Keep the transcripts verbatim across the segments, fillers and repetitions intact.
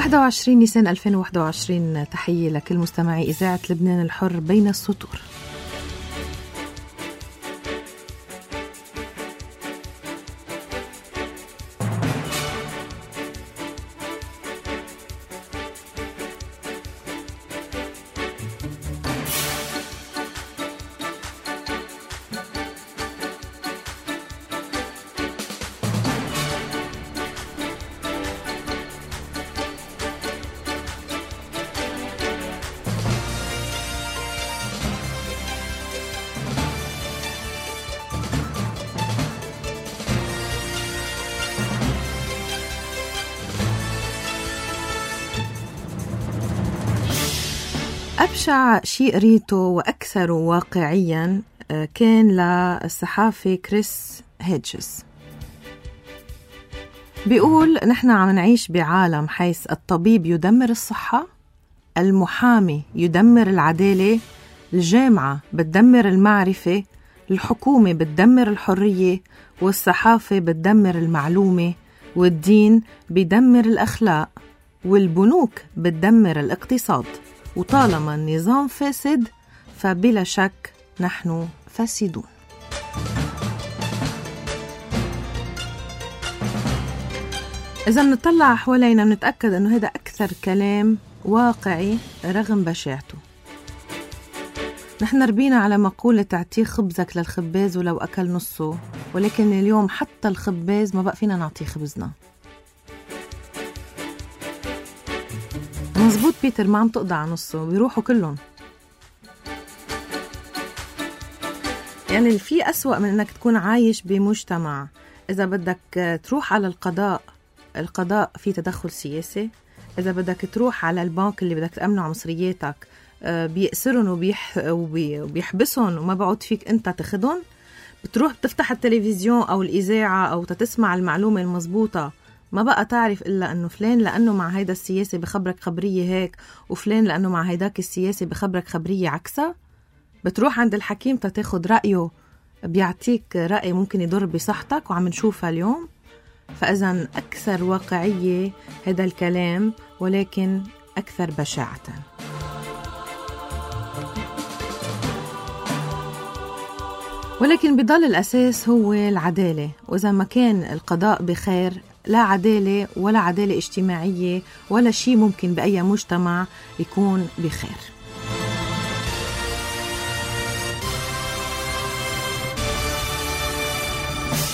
واحد وعشرين نيسان ألفين وواحد وعشرين، تحية لكل مستمعي إذاعة لبنان الحر بين السطور. أبشع شيء قريته وأكثر واقعيا كان للصحافي كريس هيدجز. بيقول نحن عم نعيش بعالم حيث الطبيب يدمر الصحة، المحامي يدمر العدالة، الجامعة بتدمر المعرفة، الحكومة بتدمر الحرية، والصحافة بتدمر المعلومة، والدين بيدمر الأخلاق، والبنوك بتدمر الاقتصاد. وطالما النظام فاسد فبلا شك نحن فاسدون. إذا نطلع حوالينا نتأكد أنه هذا أكثر كلام واقعي رغم بشاعته. نحن ربينا على مقولة تعطيه خبزك للخباز ولو أكل نصه، ولكن اليوم حتى الخباز ما بقى فينا نعطيه خبزنا. مزبوط بيتر، ما عم تقضى على نصه، بيروحوا كلهم. يعني في أسوأ من أنك تكون عايش بمجتمع إذا بدك تروح على القضاء، القضاء في تدخل سياسي. إذا بدك تروح على البنك اللي بدك تأمنه على مصرياتك بيأسرن وبيح وبيحبسهم وما بعود فيك أنت تاخدهم. بتروح بتفتح التلفزيون أو الإذاعة أو تسمع المعلومة المضبوطة، ما بقى تعرف إلا أنه فلان لأنه مع هيدا السياسي بخبرك خبرية هيك، وفلان لأنه مع هيداك السياسي بخبرك خبرية عكسها. بتروح عند الحكيم تاخد رأيه، بيعطيك رأي ممكن يضر بصحتك، وعم نشوفها اليوم. فإذن أكثر واقعية هذا الكلام، ولكن أكثر بشاعة. ولكن بضل الأساس هو العدالة، وإذا ما كان القضاء بخير لا عدالة ولا عدالة اجتماعية ولا شيء ممكن بأي مجتمع يكون بخير.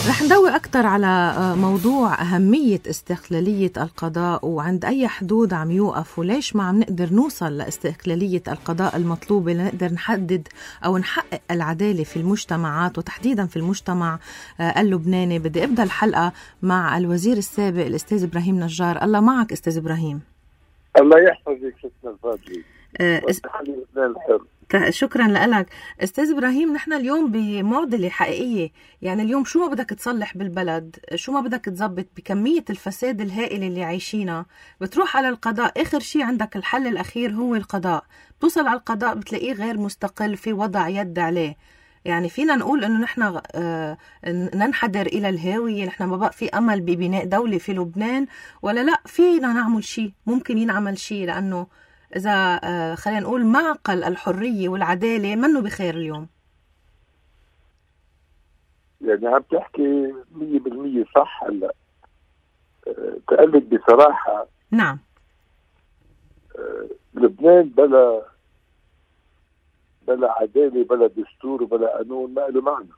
رح ندوي أكتر على موضوع أهمية استقلالية القضاء، وعند أي حدود عم يوقف، وليش ما عم نقدر نوصل لاستقلالية القضاء المطلوبة لنقدر نحدد أو نحقق العدالة في المجتمعات، وتحديدا في المجتمع اللبناني. بدي أبدأ الحلقة مع الوزير السابق الأستاذ إبراهيم نجار. الله معك أستاذ إبراهيم. الله يحفظك ستنا الفاضلة. أه شكرا لك أستاذ إبراهيم. نحن اليوم بمعضلة حقيقية، يعني اليوم شو ما بدك تصلح بالبلد، شو ما بدك تزبط بكمية الفساد الهائل اللي عايشينه، بتروح على القضاء. آخر شيء عندك الحل الأخير هو القضاء. توصل على القضاء بتلاقيه غير مستقل، في وضع يد عليه. يعني فينا نقول إنه نحن آه ننحدر إلى الهاوية، نحن ما بقى في أمل ببناء دولة في لبنان، ولا لا فينا نعمل شيء، ممكن ينعمل شيء، لأنه إذا آه خلينا نقول معقل الحرية والعدالة منه بخير اليوم. يعني عم تحكي مية بالمية صح. هلا أه تقلد بصراحة. نعم. أه لبنان بلا بلا عدالة بلا دستور وبلا قانون ما له معنى،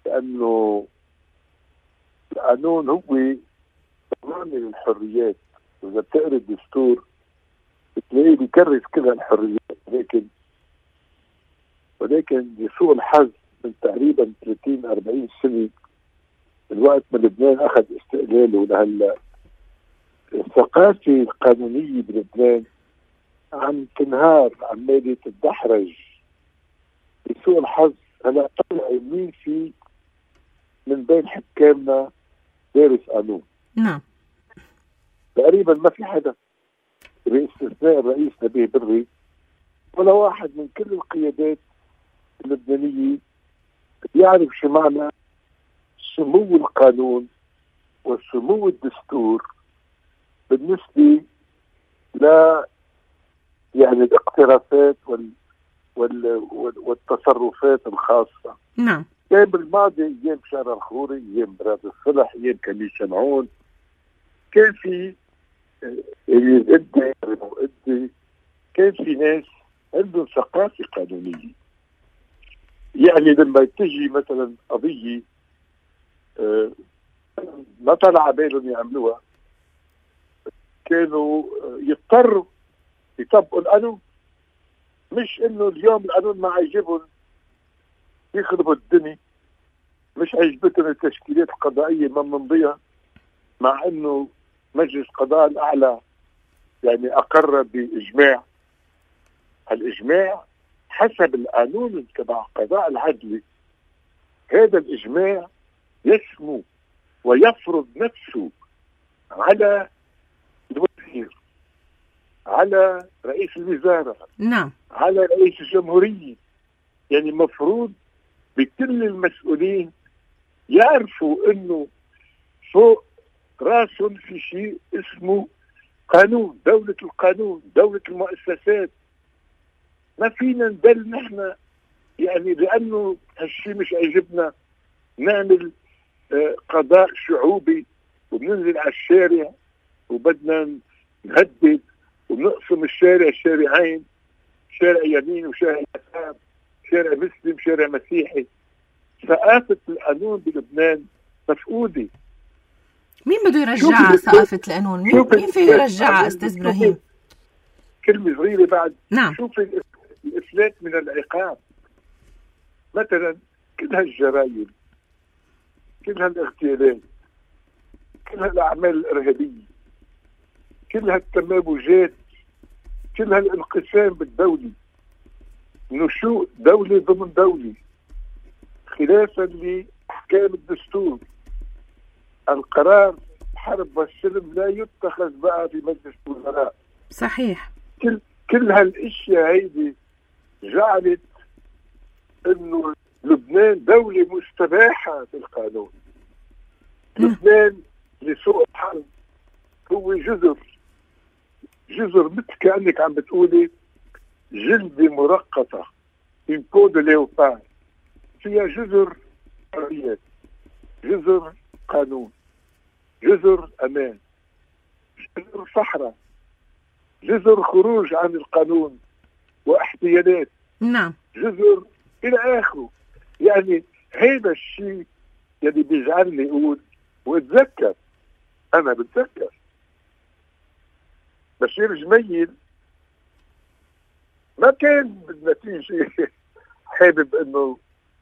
لأنه القانون هو ضمان الحريات. وإذا بتقرأ الدستور بتلاقيه بيكرس كل الحريات، ولكن ولكن لسوء الحظ من تقريبا ثلاثين أربعين سنة من وقت ما لبنان أخذ استقلاله لهلا، الثقافة القانونية بلبنان عم تنهار، عمالة تتدحرج. لسوء الحظ هلا طلع مين في من بين حكامنا دارس قانون. نعم. تقريبا ما في حدا باستثناء الرئيس نبيه بري ولا واحد من كل القيادات اللبنانية بيعرف شو معنى سمو القانون وسمو الدستور بالنسبة ل يعني الاقترافات وال وال والتصرفات الخاصة. نعم. كان بالماضي ايام بشار الخوري، ايام براد الصلح، ايام كميل شمعون، كان في اللي ادي ادي كان في ناس عندهم ثقافة قانونية. يعني لما تجي مثلا قضية آه ما طلع بالهم يعملوها، كانوا يضطروا يطبقوا القانون، مش انه اليوم القانون ما عجبهم يخربوا الدنيا، مش عجبتهم التشكيلات القضائية ما منضيها، مع انه مجلس القضاء الاعلى يعني اقر باجماع. الاجماع حسب القانون تبع القضاء العدلي، هذا الاجماع يسمو ويفرض نفسه على الوزير، على رئيس الوزارة، نعم، على رئيس الجمهورية. يعني مفروض بكل المسؤولين يعرفوا انه فوق راسهم في شيء اسمه قانون، دولة القانون، دولة المؤسسات. ما فينا ندل نحن يعني لانه هالشيء مش عجبنا نعمل آه قضاء شعوبي وبننزل على الشارع وبدنا نهدد ونقسم الشارع شارعين، شارع يمين وشارع يسار، شارع مسلم شارع مسيحي. ثقافة القانون بلبنان مفقودة. مين بده يرجعها ثقافة القانون؟ مين, مين فيه يرجعها أستاذ إبراهيم؟ كلمة صغيرة بعد. نعم. شوفي الإفلات من العقاب. مثلا كل هالجرائم، كل هالاغتيالات، كل هالأعمال الإرهابية، كل هالتمابجات، كل هالانقسام بالدولة، نشوء دولة ضمن دولة خلافا لأحكام الدستور. القرار الحرب والسلم لا يتخذ بقى في مجلس الوزراء. صحيح. كل كل هالاشياء هيدي جعلت انه لبنان دولة مستباحة في القانون. لبنان لسوء الحظ هو جزر جزر مثل كأنك عم بتقولي جلدة مرقطة، من كود ليوبار، فيها جزر حريات، جزر قانون، جزر أمان، جزر صحراء، جزر خروج عن القانون واحتيالات. نعم. جزر إلى آخره. يعني هذا الشيء يعني بيجعلني أقول واتذكر، أنا بتذكر بشير جميل ما كان بالنتيجة حابب انه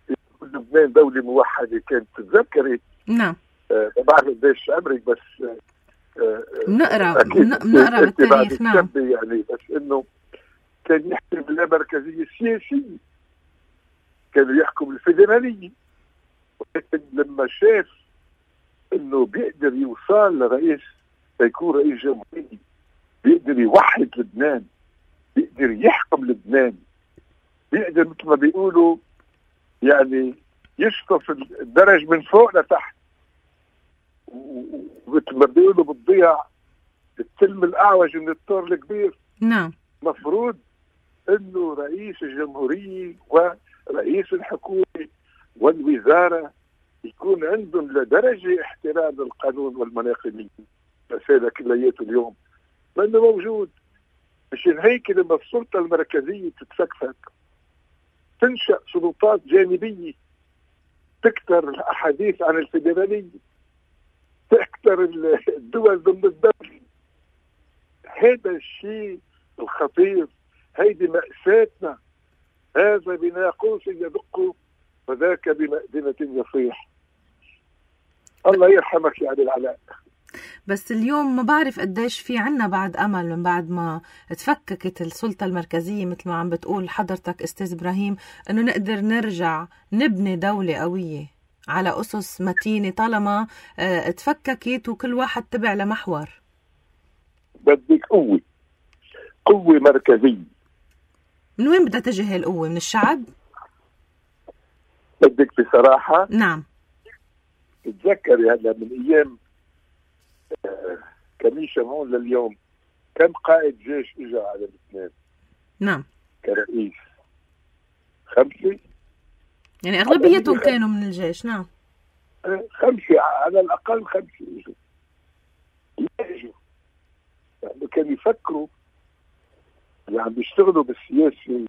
يكون لبنان دولة موحدة. كانت تتذكري. نعم. آه ما بعرف قديش عمرك، بس آه نقرا نقرا بالتاريخ. نعم. يعني بس انه كان يحكي باللامركزية السياسية، كانوا يحكوا بالفيدرالية، ولكن لما شاف انه بيقدر يوصل لرئيس يكون رئيس جمهورية، بيقدر يوحد لبنان، بيقدر يحكم لبنان، بيقدر مثل ما بيقولوا يعني يشطف الدرج من فوق لتحت، ومثل ما بيقولوا بتضيع التلم الأعوج من الطور الكبير. نعم. مفروض انه رئيس الجمهورية ورئيس الحكومة والوزارة يكون عندهم لدرجة احترام للقانون والمناقبية. بس هذا كلياته اليوم لأنه موجود. مشان هيك لما السلطة المركزية تتفكفك تنشأ سلطات جانبية، تكتر الأحاديث عن الفيدرالية، تكتر الدول ضمن الدولة. هذا الشيء الخطير، هيدي مأساتنا. هذا بناقوس يدق وذاك بمأذنة يصيح. الله يرحمك يا عبد العلاء. بس اليوم ما بعرف قديش في عنا بعد أمل من بعد ما تفككت السلطة المركزية مثل ما عم بتقول حضرتك أستاذ إبراهيم، أنه نقدر نرجع نبني دولة قوية على أسس متينة طالما اه تفككت وكل واحد تبع لمحور. بدك قوة، قوة مركزية. من وين بدها تجي هاي القوة؟ من الشعب؟ بدك بصراحة. نعم. تتذكري هلا من أيام كمين شمعون لليوم كم قائد جيش اجى على لبنان؟ نعم. كرئيس خمسة، يعني أغلبيتهم كانوا من الجيش. نعم خمسة على الأقل، خمسة اجوا. اجوا يعني كانوا يفكروا اللي عم بيشتغلوا بالسياسة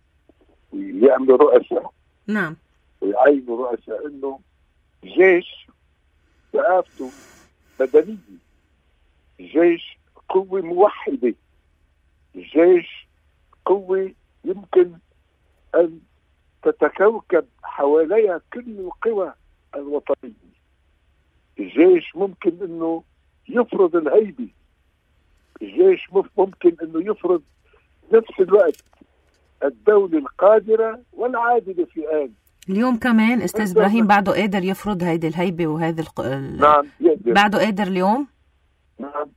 ويعملوا رؤساء. نعم. ويعينوا رؤساء انه الجيش ثقافته مدنية، الجيش قوة موحدة، الجيش قوة يمكن أن تتكوكب حواليها كل القوى الوطنية. الجيش ممكن أنه يفرض الهيبة، الجيش ممكن أنه يفرض نفس الوقت الدولة القادرة والعادلة في آن. اليوم كمان أستاذ إبراهيم بعده قادر يفرض هيدي الهيبة وهذا الق... نعم يقدر. بعده قادر اليوم. نعم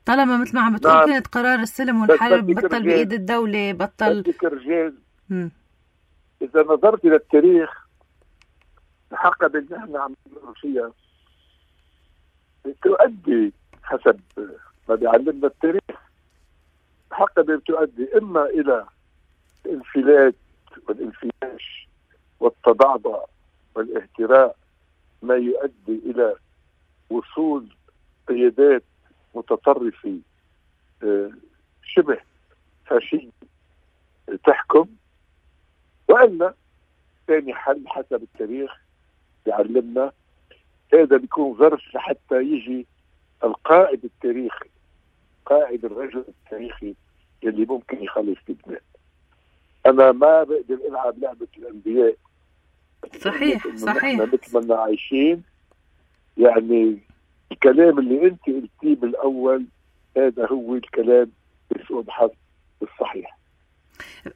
طالما مثل ما عم بتقول نعم. كانت قرار السلم والحرب بطل بإيد الدولة، بطل بدك رجال. م. إذا نظرت إلى التاريخ الحقبة اللي نحن عم نمر فيها تؤدي حسب ما بيعلمنا التاريخ، الحقبة بتؤدي إما إلى الانفلات والانفياش والتضعضع والاهتراء، ما يؤدي إلى وصول قيادات متطرفة شبه فاشية تحكم، وإلا ثاني حل حسب التاريخ يعلمنا هذا بيكون ظرف لحتى يجي القائد التاريخي، قائد الرجل التاريخي اللي ممكن يخلص لبنان. أنا ما بقدر ألعب لعبة الأنبياء. صحيح صحيح. مثل ما عايشين، يعني الكلام اللي أنت قلتيه بالأول هذا هو الكلام بسوء الحظ الصحيح.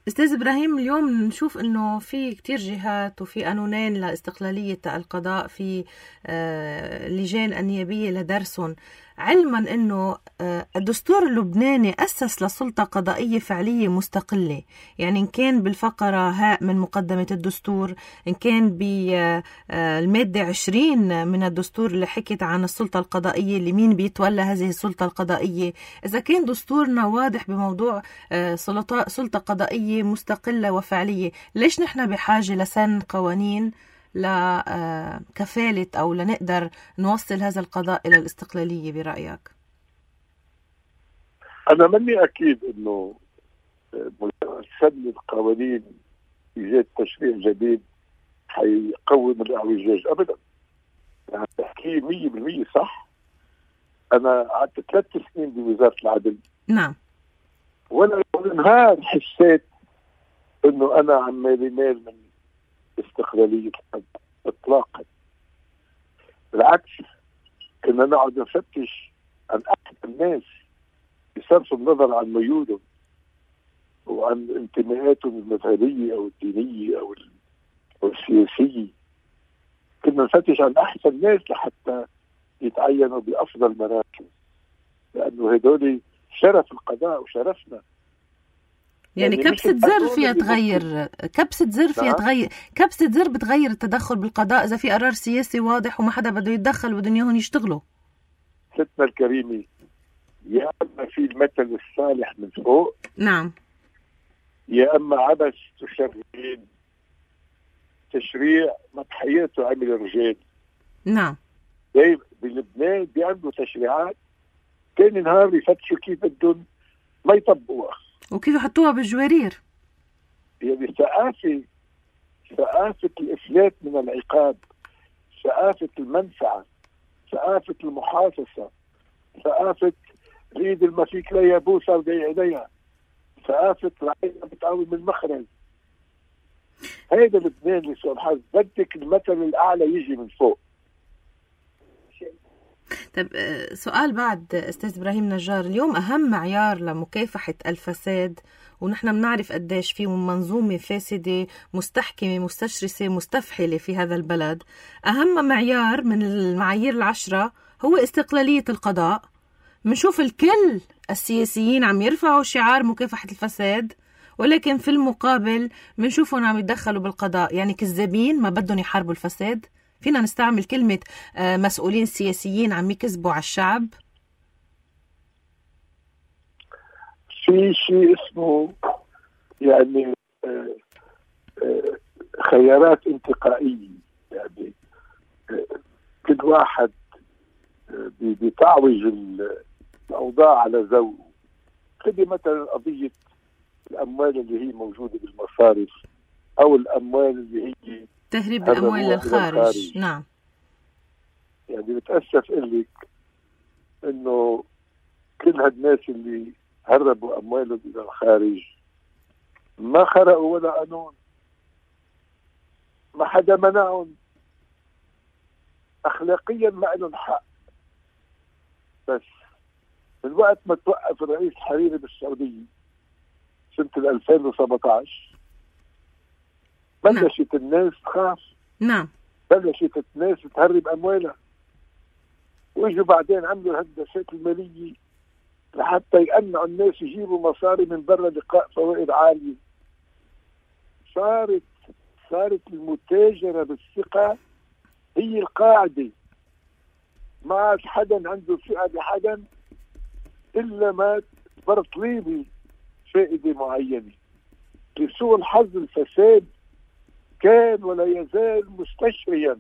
أستاذ إبراهيم، اليوم نشوف أنه في كتير جهات وفي قانونين لاستقلالية القضاء، في آه لجان النيابية لدرسهم، علما أنه آه الدستور اللبناني أسس لسلطة قضائية فعلية مستقلة، يعني إن كان بالفقرة هاء من مقدمة الدستور، إن كان بالمادة عشرين من الدستور اللي حكت عن السلطة القضائية اللي مين بيتولى هذه السلطة القضائية. إذا كان دستورنا واضح بموضوع آه سلطة, سلطة قضائية مستقلة وفعلية، ليش نحن بحاجة لسن قوانين لكفالة أو لنقدر نوصل هذا القضاء إلى الاستقلالية برأيك؟ أنا مني أكيد أنه سن القوانين إيجاد تشريع جديد حيقوم الاعوجاج أبدا. يعني تحكي مية بالمية صح. أنا قعدت ثلاث سنين بوزارة العدل. نعم. ولا نهار حسيت أنه أنا عمالي مال من استقلالية القضاء إطلاقا. بالعكس كنا نقعد نفتش عن أحد الناس بصرف النظر عن ميولهم وعن انتماءاتهم المذهبية أو الدينية أو السياسية. كنا نفتش عن أحسن الناس لحتى يتعينوا بأفضل مراكز، لأنه هدول شرف القضاء وشرفنا. يعني, يعني كبسة زر فيها تغير، كبسة زر فيها تغير، كبسة زر بتغير التدخل بالقضاء إذا في قرار سياسي واضح وما حدا بده يتدخل وبدهم ياهن يشتغلوا. ستنا الكريمة، يا أما في المثل الصالح من فوق، نعم، يا أما عبث تشريعين، تشريع ما بحياته عمل الرجال. نعم. زي بلبنان بيعملوا تشريعات تاني نهار يفتشوا كيف بدهم ما يطبقوها وكيف يحطوها بالجوارير. يعني ثقافة ثقافة الإفلات من العقاب، ثقافة المنفعة، ثقافة المحاصصة، ثقافة الإيد الما فيك لا يبوسها وضيع عليها، ثقافة العين بتقوم المخرج. هيدا لبنان لسوء الحظ، بدك المثل الأعلى يجي من فوق. طب سؤال بعد أستاذ إبراهيم نجار، اليوم أهم معيار لمكافحة الفساد، ونحن بنعرف قديش في منظومة فاسدة مستحكمة مستشرسة مستفحلة في هذا البلد، أهم معيار من المعايير العشرة هو استقلالية القضاء. منشوف الكل السياسيين عم يرفعوا شعار مكافحة الفساد، ولكن في المقابل منشوفهم عم يتدخلوا بالقضاء. يعني كذابين ما بدهم يحاربوا الفساد، فينا نستعمل كلمة مسؤولين سياسيين عم يكذبوا على الشعب؟ في شيء اسمه يعني خيارات انتقائية، يعني كل واحد بتعوج الأوضاع على ذوقه. خذي مثلا قضية الأموال اللي هي موجودة بالمصارف أو الأموال اللي هي تهريب الأموال للخارج. نعم، يعني بتأسف إلك إنه كل هالناس اللي هربوا أموالهم إلى الخارج ما خرقوا ولا قانون، ما حدا منعهم، أخلاقيا ما لهم حق. بس من وقت ما توقف الرئيس حريري بالسعودية سنة ألفين وسبعة عشر بلشت الناس تخاف. نعم، بلشت الناس تهرب أموالها، ويجوا بعدين عملوا الهندسات المالية لحتى يقنعوا الناس يجيبوا مصاري من برا لقاء فوائد عالية. صارت صارت المتاجرة بالثقة هي القاعدة. ما عاد حدا عنده ثقة بحدا إلا ما برطلي لي فائدة معينة. لسوء الحظ الفساد كان ولا يزال مستشريا.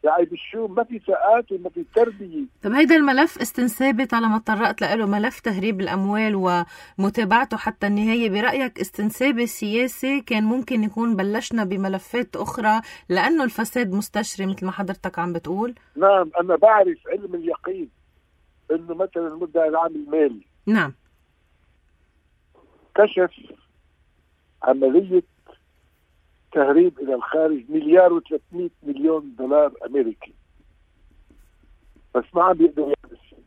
يعني بالشو ما في ثقات وما في تربية. طب هيدا الملف استنسابي طالما تطرقت له، ملف تهريب الأموال ومتابعته حتى النهاية، برأيك استنسابي سياسي كان ممكن يكون بلشنا بملفات أخرى لأنه الفساد مستشري مثل ما حضرتك عم بتقول؟ نعم، أنا بعرف علم اليقين إنه مثلا المدعي العام المالي نعم كشف عملية تهريب إلى الخارج مليار وثلاثمئة مليون دولار أمريكي، بس ما عم بيقدروا يعملوا شيء.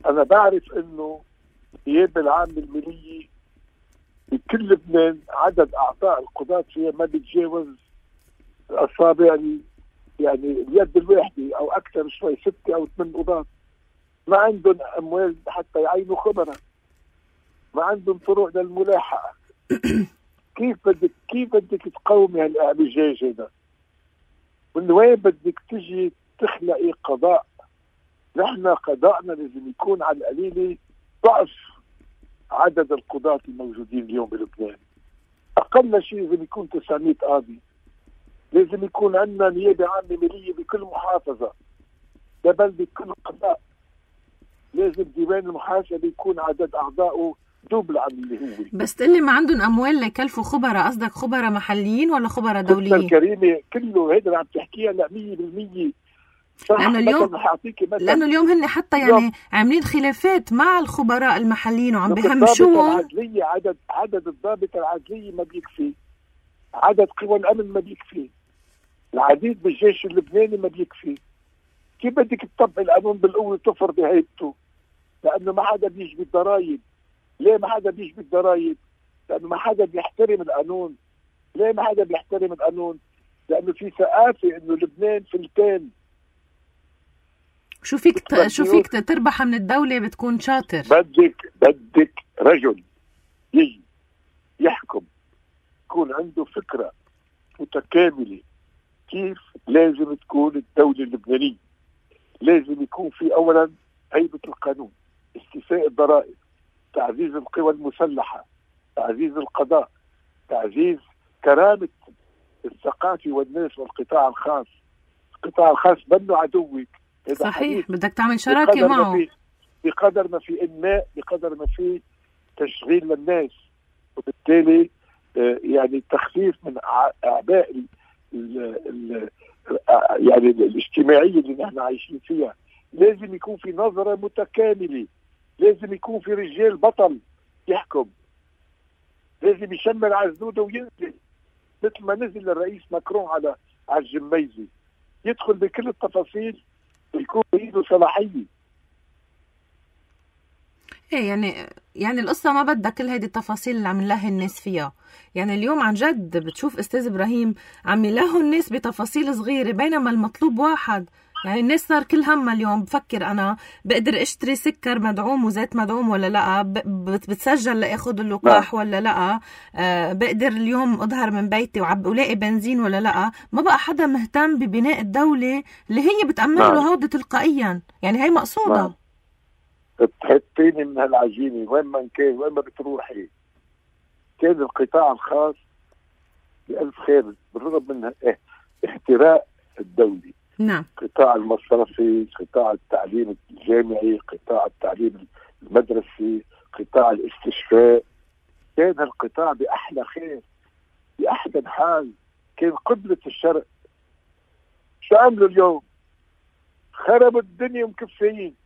أنا بعرف إنه النيابة العامة المالية بكل لبنان عدد أعضاء القضاة فيها ما بيتجاوز الأصابع يعني اليد الواحدة أو أكثر شوي، ستة أو ثمان قضاة. ما عندهم أموال حتى يعينوا خبراء، ما عندهم طرق للملاحقة. كيف بدك كيف بدك تقومي هالاعوجاج هذا؟ من وين بدك تجي تخلقي قضاء؟ نحن قضاءنا لازم يكون على القليل ضعف عدد القضاة الموجودين اليوم بلبنان. أقل شيء لازم يكون تسعمئة قاضي. لازم يكون عندنا نيابة عامة مالية بكل محافظة، لبلدة كل قضاء. لازم ديوان المحاسبة يكون عدد أعضائه دوبل عن اللي هو. بس تقلي ما عندهم أموال ليكلفوا خبراء، قصدك خبراء محليين ولا خبراء دوليين؟ الكريمة كله هيدا عم تحكيها لا مية بالمية. لأنه اليوم لأنه اليوم هن حتى يعني عاملين خلافات مع الخبراء المحليين وعم بيهمشوهم. العدلية عدد عدد الضابط العدلية ما بيكفي، عدد قوى الأمن ما بيكفي، العديد بالجيش اللبناني ما بيكفي. كيف بدك تطبق القانون بالقوة تفرض هيبته؟ لأنه ما حدا بيجبي الضرايب. ليه ما حدا بيجبي الضرايب؟ لأنه ما حدا بيحترم القانون. ليه ما حدا بيحترم القانون؟ لأنه في ثقافة إنه لبنان فلتان. شو فيك ت... شو فيك تربح من الدولة بتكون شاطر؟ بدك بدك رجل يجي يحكم يكون عنده فكرة متكاملة كيف لازم تكون الدولة اللبنانية. لازم يكون في أولا هيبة القانون، استيفاء الضرائب، تعزيز القوى المسلحة، تعزيز القضاء، تعزيز كرامة الثقافة والناس والقطاع الخاص. القطاع الخاص بنه عدوك. صحيح، بدك تعمل شراكة معه. بقدر ما في إنماء بقدر ما في تشغيل للناس، وبالتالي يعني تخفيف من أعباء ال ال يعني الاجتماعية اللي نحن عايشين فيها. لازم يكون في نظرة متكاملة. لازم يكون في رجال بطل يحكم. لازم يشمل على زنوده وينزل مثل ما نزل الرئيس ماكرون على على الجميزة، يدخل بكل التفاصيل ويكون بإيده صلاحية. ايه يعني يعني القصة ما بدها كل هيدي التفاصيل اللي عم نلهي الناس فيها. يعني اليوم عن جد بتشوف استاذ ابراهيم عم يلهوا الناس بتفاصيل صغيرة بينما المطلوب واحد، يعني الناس صار كل همها اليوم بفكر أنا بقدر أشتري سكر مدعوم وزيت مدعوم ولا لأ، بتسجل لأخذ اللقاح ولا لأ، أه بقدر اليوم أظهر من بيتي وعب ولاقي بنزين ولا لأ. ما بقى حدا مهتم ببناء الدولة اللي هي بتأمن له هودة تلقائيا. يعني هي مقصودة. تحطيني من هالعجينة وين ما كان، وين ما بتروحي. كان القطاع الخاص بألف خير بالرغم من احتراق الدولي. نعم. قطاع المصرفي، قطاع التعليم الجامعي، قطاع التعليم المدرسي، قطاع الاستشفاء، كان القطاع بأحلى خير بأحسن حال. كان قبلة الشرق. شو عملوا اليوم؟ خربوا الدنيا ومكفيين.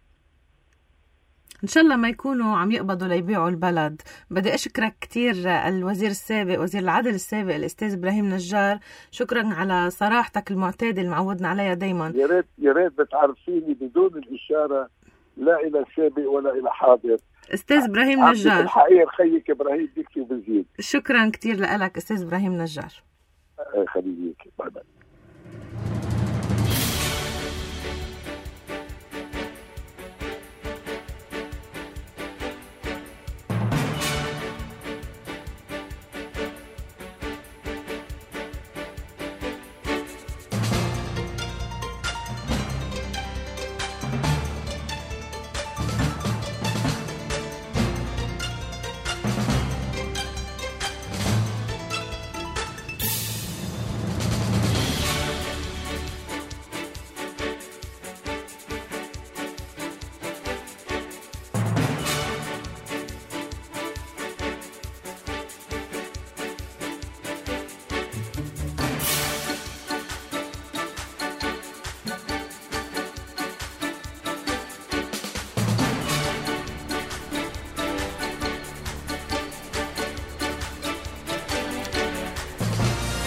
إن شاء الله ما يكونوا عم يقبضوا ليبيعوا البلد. بدي أشكرك كتير الوزير السابق، وزير العدل السابق الأستاذ إبراهيم نجار. شكرا على صراحتك المعتادة اللي معودنا عليها دايما. يا ريت يا ريت بتعرفيني بدون الإشارة لا إلى سابق ولا إلى حاضر. أستاذ إبراهيم نجار. الحقيقة خيك إبراهيم بيكفي وبزيد. شكرا كتير لك أستاذ إبراهيم نجار. خليك باي باي.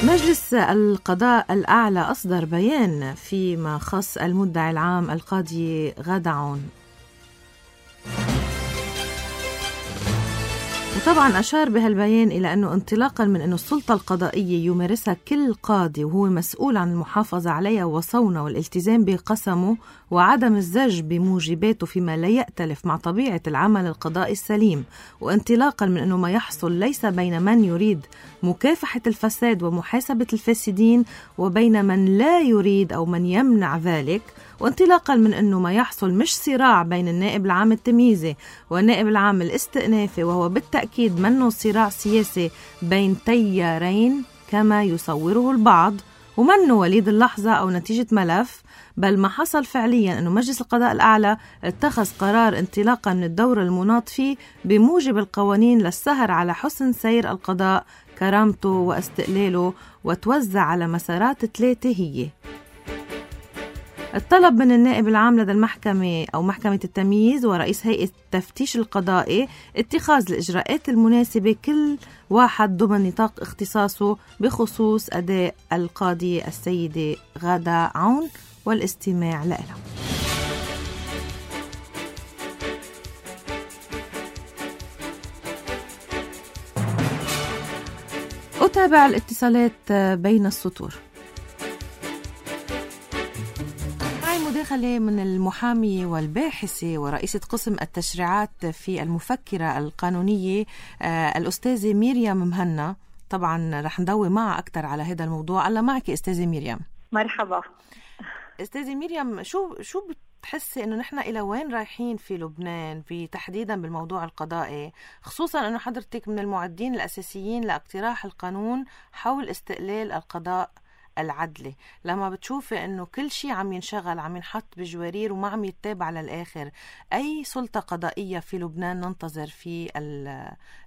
مجلس القضاء الأعلى أصدر بيان فيما خص المدعي العام القاضي غادة عون، وطبعا أشار بهالبيان إلى أنه انطلاقا من أنه السلطة القضائية يمارسها كل قاضي وهو مسؤول عن المحافظة عليها وصونها والالتزام بقسمه وعدم الزج بموجباته فيما لا يأتلف مع طبيعة العمل القضائي السليم، وانطلاقا من أنه ما يحصل ليس بين من يريد مكافحة الفساد ومحاسبة الفاسدين وبين من لا يريد أو من يمنع ذلك، وانطلاقا من أنه ما يحصل مش صراع بين النائب العام التمييزي والنائب العام الاستئنافي، وهو بالتأكيد منه صراع سياسي بين تيارين كما يصوره البعض، ومنه وليد اللحظة أو نتيجة ملف، بل ما حصل فعليا أنه مجلس القضاء الأعلى اتخذ قرار انطلاقا من الدور المناط فيه بموجب القوانين للسهر على حسن سير القضاء، كرامته واستقلاله، وتوزع على مسارات ثلاثة هي: الطلب من النائب العام لدى المحكمة أو محكمة التمييز ورئيس هيئة التفتيش القضائي اتخاذ الإجراءات المناسبة كل واحد ضمن نطاق اختصاصه بخصوص أداء القاضية السيدة غادة عون والاستماع لها. أتابع الاتصالات بين السطور. مداخلة من المحامية والباحثة ورئيسة قسم التشريعات في المفكرة القانونية آه الأستاذة ميريام مهنا. طبعا رح ندوي معها أكثر على هذا الموضوع. الله معك أستاذة ميريام. مرحبا أستاذة ميريام، شو شو بتحسي إنه نحن إلى وين رايحين في لبنان تحديدا بالموضوع القضائي، خصوصا إنه حضرتك من المعدين الأساسيين لاقتراح القانون حول استقلال القضاء العدلي، لما بتشوفي انه كل شيء عم ينشغل عم ينحط بجوارير وما عم يتابع للآخر، اي سلطة قضائية في لبنان ننتظر في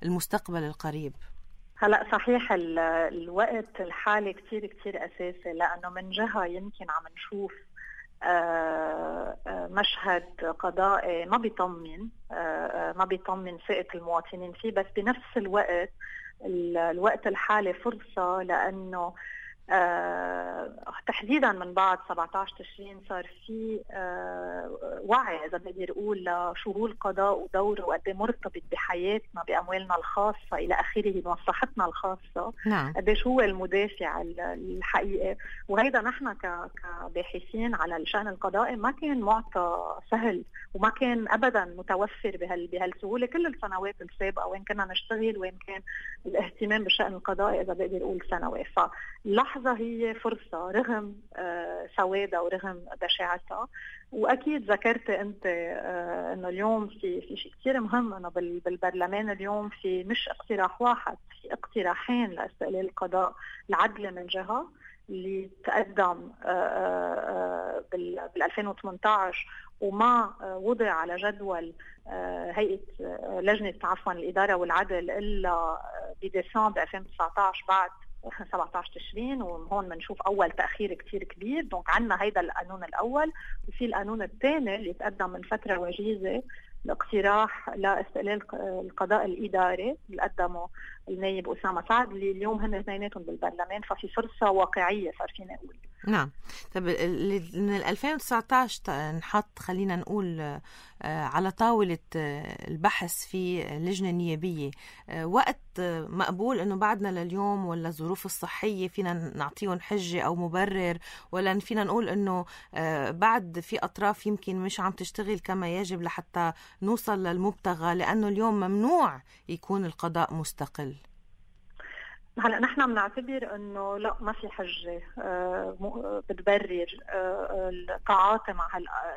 المستقبل القريب؟ هلأ صحيح الوقت الحالي كتير كتير أساسي، لأنه من جهة يمكن عم نشوف مشهد قضائي ما بيطمن ما بيطمن ثقة المواطنين فيه، بس بنفس الوقت الوقت الحالي فرصة لأنه آه تحديدا من بعد سبعة عشر تشرين صار في آه وعي اذا بدي اقول لشو هو القضاء ودوره وقد ايه مرتبط بحياتنا باموالنا الخاصه الى اخره بمصلحتنا الخاصه. نعم. قديش هو المدافع الحقيقي. وهيدا نحن كباحثين على الشان القضائي ما كان معطى سهل وما كان ابدا متوفر بهال بهالسهوله كل السنوات السابقه وين كنا نشتغل وين كان الاهتمام بالشان القضائي اذا بقدر اقول سنوات. فاللحظه هي فرصه رغم آه سوادها ورغم بشاعتها. واكيد ذكرت انت آه انه اليوم في في شيء كثير مهم انه بالبرلمان اليوم في مش اقتراح واحد، في اقتراحين لاستقلال القضاء العدل من جهه اللي تقدم بال ألفين وثمانية عشر وما وضع على جدول هيئة لجنة عفوا الإدارة والعدل إلا بديسمبر ألفين وتسعة عشر بعد سبعة عشر تشرين. وهون بنشوف أول تأخير كتير كبير. دونك عنا هيدا القانون الأول وفي القانون الثاني اللي تقدم من فترة وجيزة الاقتراح لاستقلال القضاء الإداري اللي قدمه النائب أسامة سعد اللي اليوم هن اثنيناتهم بالبرلمان. ففي فرصة واقعية صار فينا نقول. نعم. طب من ألفين وتسعة عشر نحط خلينا نقول على طاولة البحث في لجنة نيابية وقت مقبول انه بعدنا لليوم ولا الظروف الصحية فينا نعطيهم حجة او مبرر ولا فينا نقول انه بعد في اطراف يمكن مش عم تشتغل كما يجب لحتى نوصل للمبتغى لانه اليوم ممنوع يكون القضاء مستقل؟ هلا نحن بنعتبر انه لا ما في حجه آه بتبرر آه التعاطي مع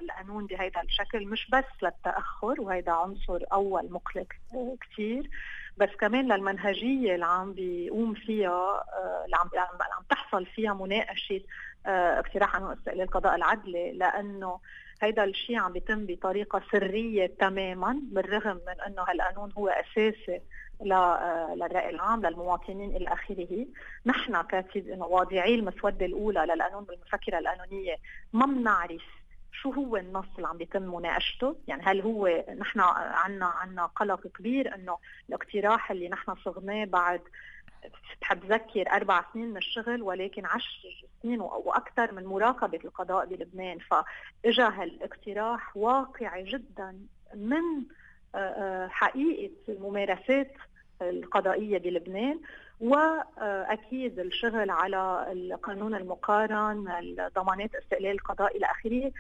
القانون بهيدا الشكل، مش بس للتاخر وهيدا عنصر اول مقلق آه كثير، بس كمان للمنهجيه اللي عم بيقوم فيها آه اللي عم عم تحصل فيها مناقشه آه اقتراح قانون استقلال القضاء العدلي، لانه هيدا الشيء عم بيتم بطريقه سريه تماما بالرغم من انه هالقانون هو اساسي للرأي العام للمواطنين إلى آخره. نحن كواضعي المسودة الأولى للقانون بالمفكرة القانونية ما بنعرف شو هو النص اللي عم بيتم مناقشته. يعني هل هو نحن عنا عنا قلق كبير إنه الاقتراح اللي نحن صغناه بعد بحب ذكر أربع سنين من الشغل ولكن عشر سنين وأكثر من مراقبة القضاء بلبنان، فإجا هالاقتراح واقعي جدا من حقيقة الممارسات القضائية بلبنان وأكيد الشغل على القانون المقارن الضمانات استقلال القضاء إلى آخره.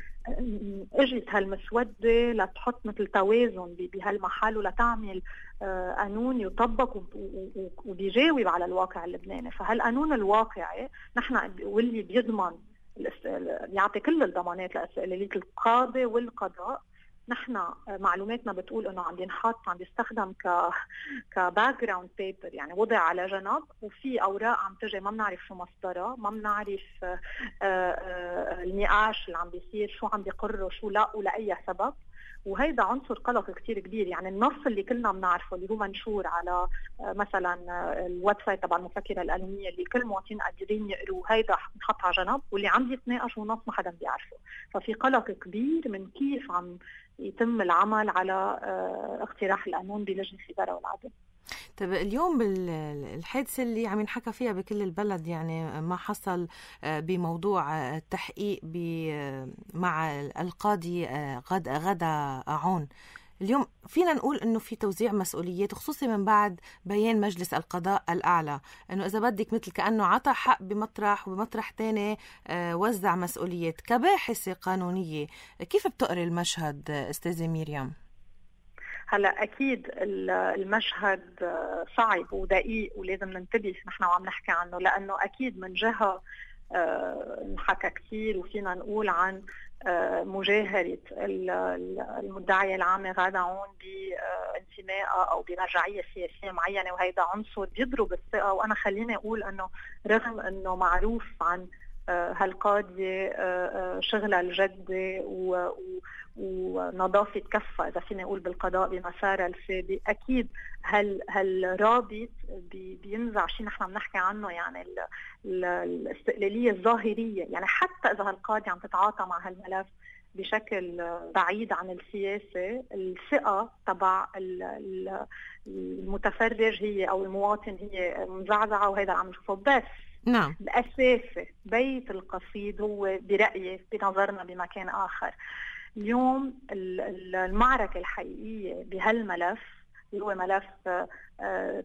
اجت هالمسودة لتحط مثل توازن بهالمحل ولتعمل قانون يطبق وبيجاوب على الواقع اللبناني. فهالقانون الواقعي نحن واللي بيضمن بيعطي كل الضمانات لاستقلالية القاضي والقضاء. نحن معلوماتنا بتقول انه عم ينحط عم يستخدم ك كباك جراوند بيبر، يعني وضع على جنب وفي اوراق عم تجي ما بنعرف شو مصدرها، ما بنعرف النقاش اللي عم بيصير شو عم بيقروا شو لا ولاي سبب. وهيدا عنصر قلق كتير كبير. يعني النص اللي كلنا بنعرفه اللي هو منشور على مثلا الويب سايت تبع المفكرة القانونية اللي كل مواطنين قادرين يقروا، هيدا نحط على جنب واللي عم يتناقش ونص ما حدا بيعرفه. ففي قلق كبير من كيف عم يتم العمل على اقتراح القانون بلجنة الإدارة والعدل. طيب اليوم بالحادثة اللي عم ينحكى فيها بكل البلد، يعني ما حصل بموضوع التحقيق مع القاضي غدا عون، اليوم فينا نقول انه في توزيع مسؤوليات خصوصي من بعد بيان مجلس القضاء الاعلى انه اذا بدك مثل كانه عطى حق بمطرح وبمطرح تاني وزع مسؤوليات. كباحثة قانونية كيف بتقري المشهد استاذة مريم؟ هلا اكيد المشهد صعب ودقيق ولازم ننتبه نحن وعم نحكي عنه، لانه اكيد من جهه نحكى كثير وفينا نقول عن مجاهرة المدعية العامة غادة عون بانتمائها أو بمرجعية سياسية معينة، وهيدا عنصر بيضرب الثقة. وأنا خليني أقول أنه رغم أنه معروف عن هالقاضية شغلها الجدي ونظافة كفة إذا فينا نقول بالقضاء بمسارها السابق، أكيد هال هالرابط بينزع شيء نحن بنحكي عنه، يعني الاستقلالية الظاهرية. يعني حتى إذا هالقاضي عم تتعاطى مع هالملف بشكل بعيد عن السياسة، الثقة تبع المتفرج هي أو المواطن هي مزعزعة، وهذا عم نشوفه. بس نعم. الأساسي بيت القصيد هو برأيي بنظرنا بمكان آخر. اليوم المعركة الحقيقية بهالملف هو ملف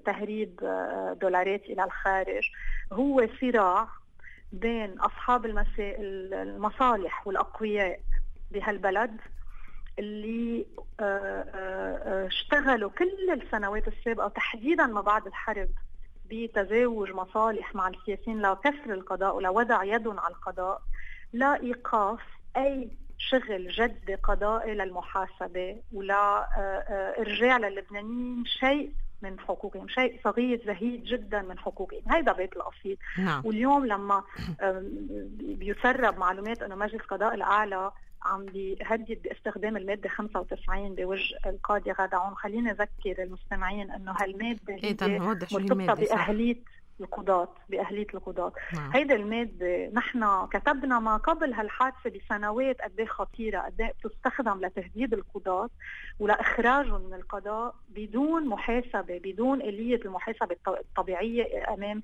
تهريب دولارات إلى الخارج، هو صراع بين أصحاب المصالح والأقوياء بهالبلد اللي اشتغلوا كل السنوات السابقة تحديدا ما بعد الحرب بتزاوج مصالح مع السياسيين لكسر القضاء ولوضع يدهم على القضاء، لا إيقاف أي شغل جدي قضائي للمحاسبة ولا إرجاع للبنانيين شيء من حقوقهم، شيء صغير زهيد جدا من حقوقهم. هيدا بيت القصيد. نعم. واليوم لما بيسرب معلومات أنه مجلس القضاء الأعلى عم بيهدد باستخدام المادة خمسة وتسعين بوجه القاضي غادة عون، خلينا نذكر المستمعين أنه هالمادة هي مرتبطة بأهلية القضاة بأهلية القضاة. نعم. هيدا المادة نحن كتبنا ما قبل هالحادثة بسنوات قد ايه خطيرة، قد ايه بتستخدم لتهديد القضاة ولاخراجهم من القضاء بدون محاسبة، بدون آلية المحاسبة الطبيعية امام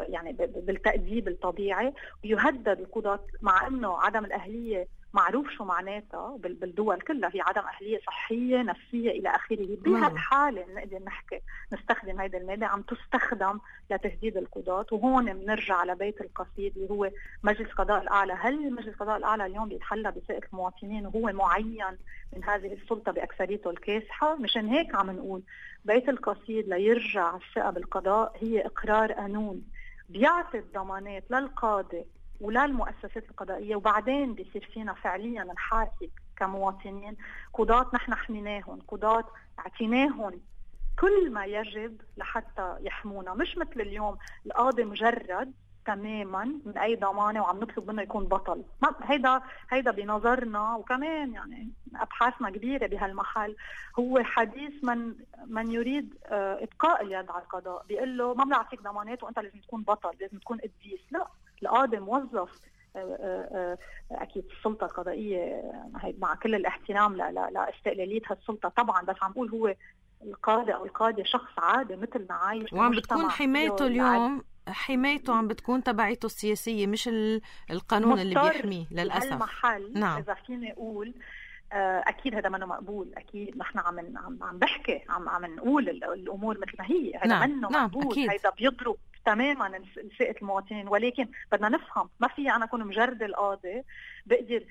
يعني بالتأديب الطبيعي، ويهدد القضاة مع انه عدم الأهلية معروف شو معناتها بالدول كلها، هي عدم أهلية صحية نفسية إلى آخره. بهالحالة نقدر نحكي نستخدم هيدا المادة عم تستخدم لتهديد القضاة. وهون بنرجع على بيت القصيد اللي هو مجلس القضاء الأعلى. هل مجلس القضاء الأعلى اليوم بيتحلى بثقة المواطنين وهو معين من هذه السلطة بأكثريته الكاسحة؟ مشان هيك عم نقول بيت القصيد ليرجع الثقة بالقضاء هي إقرار قانون بيعطي الضمانات للقاضي ولا المؤسسات القضائية، وبعدين بيصير فينا فعليا نحاسب كمواطنين. قضاة نحن حميناهم، قضاة اعتناهم كل ما يجب لحتى يحمونا، مش مثل اليوم القاضي مجرد تماما من اي ضمانه وعم نطلب منه يكون بطل. هيدا هيدا بنظرنا، وكمان يعني ابحاثنا كبيره بهالمحل، هو حديث من من يريد ابقاء اليد على القضاء، بيقول له ما بنعطيك ضمانات وانت لازم تكون بطل، لازم تكون قديس. لا، القاضي موظف اكيد السلطه القضائيه مع كل الاحترام لاستقلاليه هالسلطه طبعا، بس عم بقول هو القاضي او القاضي شخص عادي مثلنا عايش، وعم بتكون حمايته اليوم حمايته عم بتكون تبعيته السياسيه مش القانون اللي بيحميه للاسف. المحل نعم. اذا فيني اقول اكيد هذا منه مقبول، اكيد نحن عم عم عم بحكي عم عم نقول الامور مثل ما هي، هذا نعم. منه نعم. مقبول، هذا بيضرب تماما ثقة المواطنين. ولكن بدنا نفهم ما في أنا أكون مجرد القاضي بقدر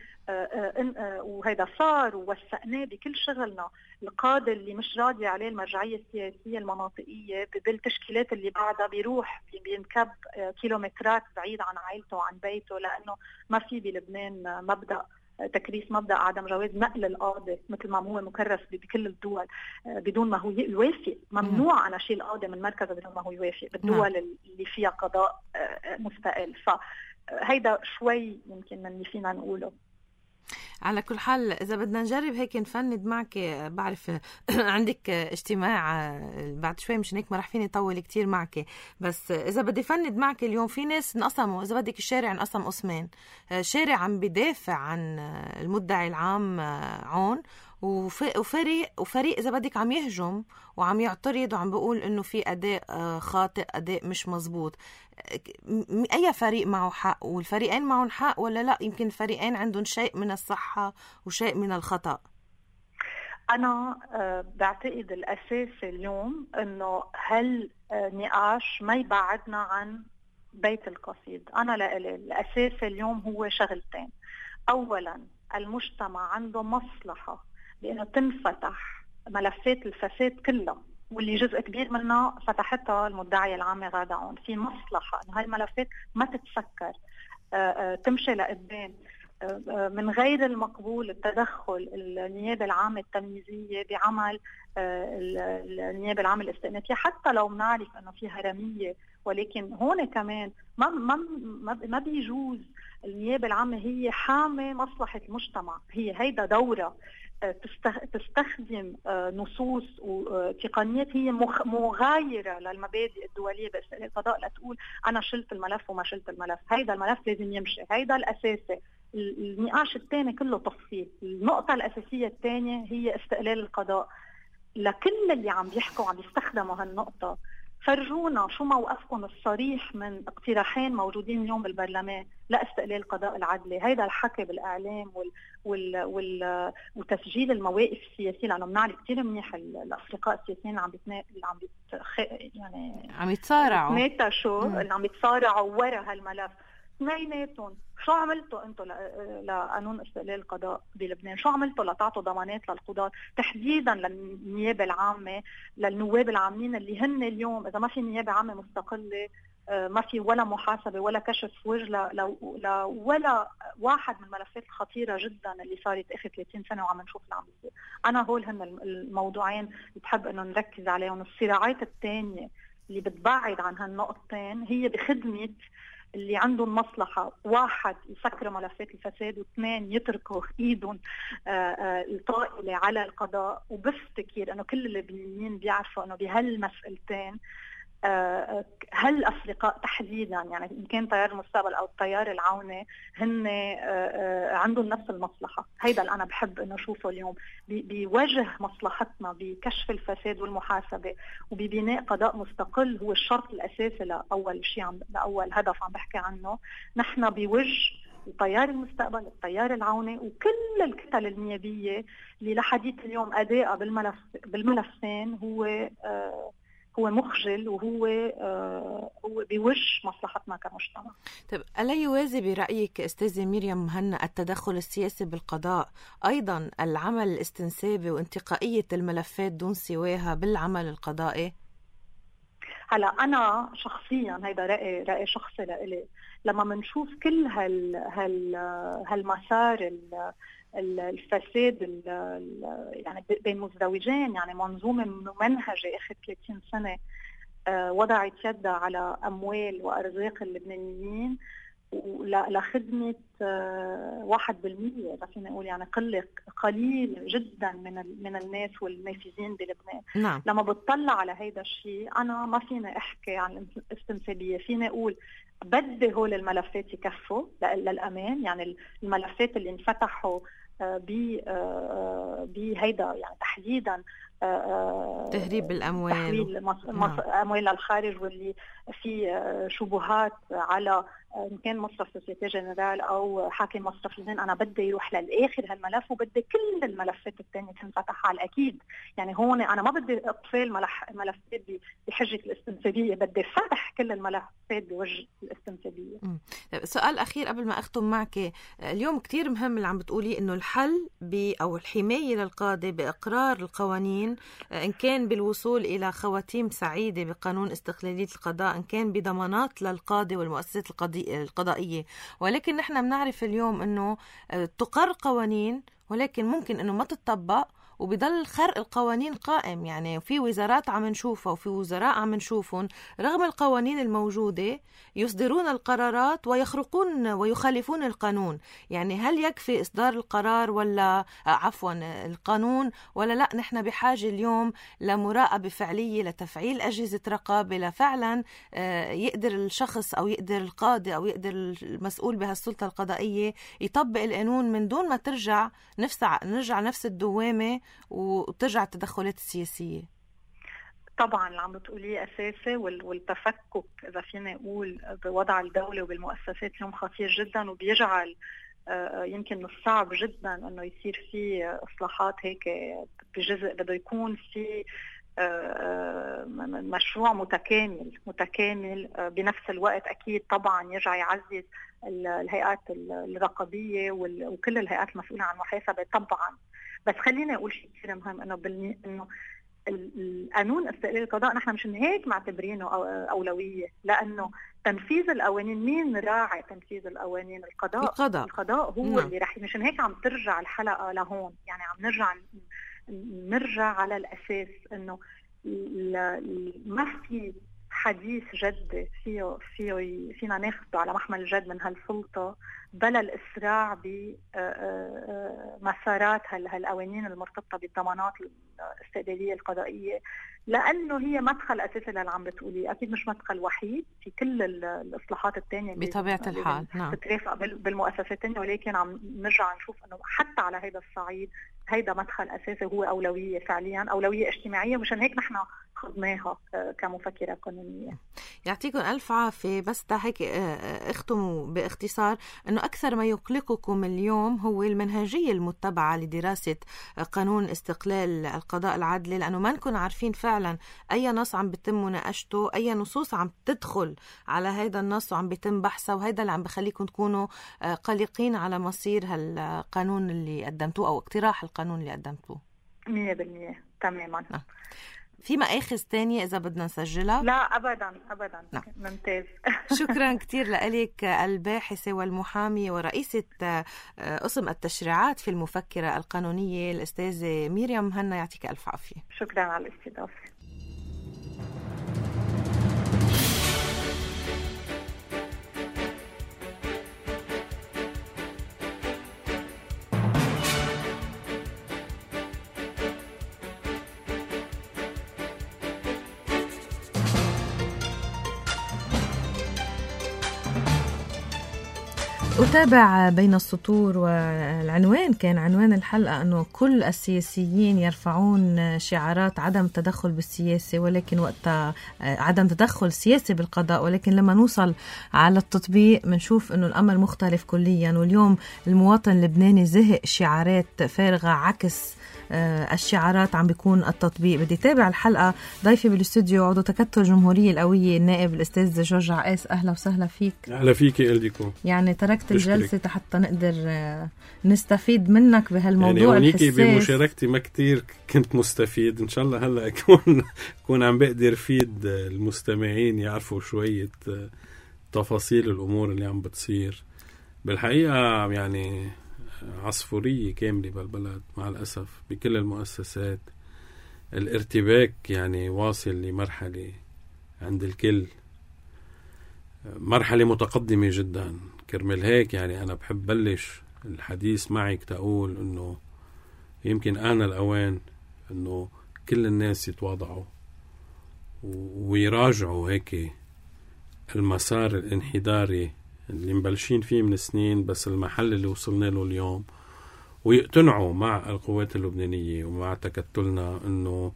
وهيدا صار ووثقناه بكل شغلنا. القاضي اللي مش راضي عليه المرجعية السياسية المناطقية بالتشكيلات اللي بعدها بيروح بينكب كيلومترات بعيد عن عائلته وعن بيته، لأنه ما في بلبنان مبدأ تكريس، مبدأ عدم جواز نقل القاضي مثل ما هو مكرس بكل الدول بدون ما هو يوافق. ممنوع أنا شيل القاضي من مركزه بدون ما هو يوافق بالدول اللي فيها قضاء مستقل. فهيدا شوي يمكن من اللي فينا نقوله. على كل حال إذا بدنا نجرب هيك نفند معك، بعرف عندك اجتماع بعد شوي مش هيك ما رح فيني طول كتير معك، بس إذا بدي فند معك اليوم في ناس انقسموا، إذا بدك الشارع انقسم قسمين، شارع عم بدافع عن المدعي العام عون، وفريق وفريق إذا بدك عم يهجم وعم يعترض وعم بيقول إنه في أداء خاطئ، أداء مش مزبوط. أي فريق معه حق والفريقين معهم حق ولا لا؟ يمكن الفريقين عندهم شيء من الصحة وشيء من الخطأ. أنا بعتقد الأساس اليوم إنه هالنقاش ما يبعدنا عن بيت القصيد. أنا لألي الأساس اليوم هو شغلتين. أولا المجتمع عنده مصلحة بأنه تنفتح ملفات الفساد كلها، واللي جزء كبير منها فتحتها المدعية العامة غادة عون. في مصلحة أن هاي الملفات ما تتسكر، تمشي لقدام. من غير المقبول التدخل النيابة العامة التمييزية بعمل النيابة العامة الاستئنافية، حتى لو بنعرف أنه في هرمية، ولكن هون كمان ما ما ما بيجوز. النيابة العامة هي حامة مصلحة المجتمع، هي هيدا دورة تستخدم نصوص وتقنيات هي مغايرة للمبادئ الدولية باستقلال القضاء، لا تقول أنا شلت الملف وما شلت الملف. هيدا الملف لازم يمشي، هيدا الأساسي. النقاش الثاني كله تفصيل. النقطة الأساسية الثانية هي استقلال القضاء. لكل اللي عم بيحكوا عم يستخدموا هالنقطة فرجونا شو موقفكم الصريح من اقتراحين موجودين اليوم بالبرلمان لاستقلال القضاء العدلي. هيدا الحكي بالاعلام وال وال وال وتسجيل المواقف السياسيه، لانه بنعرف كثير منيح الاصدقاء السياسيين اللي عم بيتنا... اللي عم بيتخ... يعني عم يتصارعوا يتناقشوا اللي عم يتصارعوا ورا هالملف. اثنيناتهم شو عملتوا انتم لقانون استقلال القضاء بلبنان؟ شو عملتوا لتعطوا ضمانات للقضاة تحديدا للنيابه العامه، للنواب العامين اللي هن اليوم اذا ما في نيابه عامه مستقله ما في ولا محاسبه ولا كشف وجه ل ولا واحد من الملفات الخطيره جدا اللي صارت اخر ثلاثين سنه وعم نشوف اللي عم بيصير. انا هول هن الموضوعين اللي بحب انه نركز عليهم. الصراعات الثانيه اللي بتبعد عن هالنقطتين هي بخدمه اللي عندهم مصلحة، واحد يسكروا ملفات الفساد، واثنين يتركوا ايدهم الطائلة على القضاء. وبفتكر انه كل اللبنانيين بيعرفوا انه بهالمسألتين هالأفرقاء تحديدا، يعني إن كان تيار المستقبل أو التيار العوني، هن عندهم نفس المصلحة. هيدا اللي أنا بحب إنه أشوفه اليوم بوجه مصلحتنا بكشف الفساد والمحاسبة وببناء قضاء مستقل، هو الشرط الأساسي لأول شيء عم لأول هدف عم بحكي عنه. نحن بوجه التيار المستقبل، التيار العوني، وكل الكتل النيابية اللي لحديث اليوم أداء بالملف بالملفين هو آه هو مخجل، وهو آه هو بوجه مصلحتنا كمجتمع. طيب، ألا يوازي برأيك أستاذة مريم مهنا التدخل السياسي بالقضاء أيضا العمل الاستنسابي وانتقائية الملفات دون سواها بالعمل القضائي؟ هلا أنا شخصيا هيدا رأي رأي شخصي لإلي، لما منشوف كل هال هال هالمسار الفساد يعني بين مزدوجين، يعني منظومة ممنهجة آخر ثلاثين سنة وضعت يدها على أموال وأرزاق اللبنانيين لخدمة واحد بالمية، إذا فينا نقول يعني قلة قليل جدا من من الناس والنافذين بلبنان. نعم. لما بتطلع على هيدا الشيء أنا ما فينا أحكي عن الاستنسابية، فينا أقول بدي هول الملفات يكفوا للأمان. يعني الملفات اللي انفتحوا بهيدا يعني تحديدا تهريب الأموال، تحويل مص... مص... أموال للخارج، واللي في شبهات على إن كان مصرف سوسيتي جنرال أو حاكم مصرف لبنان، أنا بدي يروح للآخر هالملف وبدي كل الملفات الثانية تنفتح على الأكيد. يعني هون أنا ما بدي إقفال ملح... ملفات بحجة الاستنسابية، بدي فتح كل الملفات بوجه الاستنسابية. سؤال أخير قبل ما أختم معك. اليوم كتير مهم اللي عم بتقولي إنه الحل ب أو الحماية للقاضي بإقرار القوانين، إن كان بالوصول إلى خواتيم سعيدة بقانون استقلالية القضاء، إن كان بضمانات للقاضي والمؤسسات القضائية. ولكن نحن بنعرف اليوم أنه تقر قوانين ولكن ممكن أنه ما تطبق وبيضل خرق القوانين قائم. يعني في وزارات عم نشوفها وفي وزراء عم نشوفهم رغم القوانين الموجودة يصدرون القرارات ويخرقون ويخالفون القانون. يعني هل يكفي إصدار القرار ولا عفوا القانون، ولا لا نحن بحاجة اليوم لمراقبة فعلية، لتفعيل أجهزة رقابة، لفعلا يقدر الشخص أو يقدر القاضي أو يقدر المسؤول بهالسلطة القضائية يطبق القانون من دون ما ترجع نفسع نرجع نفس الدوامة وترجع التدخلات السياسية؟ طبعا اللي عم بتقوليه أساسي، والتفكك إذا فينا نقول بوضع الدولة وبالمؤسسات اليوم خطير جدا، وبيجعل يمكن من الصعب جدا أنه يصير في إصلاحات هيك بجزء. بده يكون في مشروع متكامل متكامل بنفس الوقت. أكيد طبعا يرجع يعزز الهيئات الرقابية وكل الهيئات المسؤولة عن المحاسبة طبعا. بس خلينا أقول شيء كثير مهم، إنه بالني... إنه القانون استقلال القضاء نحن مش هيك معتبرينه أولوية، لأنه تنفيذ القوانين، مين راعي تنفيذ القوانين؟ القضاء. القضاء, القضاء هو نعم. اللي رح مشان هيك عم ترجع الحلقة لهون. يعني عم نرجع نرجع على الأساس إنه ما في حديث جد فيه فيه فينا ناخده على محمل الجد من هالسلطة بلا الإسراع بمسارات هالقوانين المرتبطة بالضمانات الاستقلالية القضائية، لأنه هي مدخل أساسي للي عم بتقولي. أكيد مش مدخل وحيد في كل الإصلاحات التانية بطبيعة الحال، نعم، تترافق بالمؤسسات التانية، ولكن عم نرجع نشوف أنه حتى على هذا الصعيد هيدا مدخل أساسي هو أولوية فعليا، أولوية اجتماعية، مشان هيك نحن خضناها كمفكرة قانونية. يعطيكم ألف عافية. بس تا هيك اختموا باختصار أنه أكثر ما يقلقكم اليوم هو المنهجية المتبعة لدراسة قانون استقلال القضاء العدلي، لأنه ما نكون عارفين فعلا أي نص عم بيتم مناقشته، أي نصوص عم تدخل على هذا النص وعم بيتم بحثه، وهذا اللي عم بخليكم تكونوا قلقين على مصير هالقانون اللي قدمتوه أو اقتراح القانون اللي قدمتوه. مية بالمية تماما. آه. في مآخذ تانية إذا بدنا نسجلها؟ لا أبدا أبدا. نعم. ممتاز. شكرا كتير لك الباحثة والمحامية ورئيسة قسم التشريعات في المفكرة القانونية الأستاذة ميريام مهنا. يعطيك ألف عافية. شكرا على الاستضافة. أتابع بين السطور، والعنوان كان عنوان الحلقة أنه كل السياسيين يرفعون شعارات عدم التدخل بالسياسة، ولكن وقت عدم تدخل سياسي بالقضاء، ولكن لما نوصل على التطبيق منشوف أنه الأمر مختلف كليا. واليوم المواطن اللبناني زهق شعارات فارغة، عكس الشعارات عم بيكون التطبيق. بدي تابع الحلقة. ضيفي بالاستوديو عضو تكتل الجمهورية القوية النائب الأستاذ جورج عقاس. أهلا وسهلا فيك. أهلا فيك إلديكو. يعني تركت الجلسة حتى نقدر نستفيد منك بهالموضوع يعني الحساس. بمشاركتي ما كتير كنت مستفيد. إن شاء الله هلأ أكون أكون عم بقدر فيد المستمعين يعرفوا شوية تفاصيل الأمور اللي عم بتصير. بالحقيقة يعني عصفورية كاملة بالبلد مع الأسف، بكل المؤسسات الارتباك يعني واصل لمرحلة عند الكل، مرحلة متقدمة جدا. كرمال هيك يعني أنا بحب بلش الحديث معك تقول أنه يمكن آن الأوان أنه كل الناس يتواضعوا ويراجعوا هيك المسار الانحداري اللي مبلشين فيه من سنين، بس المحل اللي وصلنا له اليوم، ويقتنعوا مع القوات اللبنانية ومع تكتلنا أنه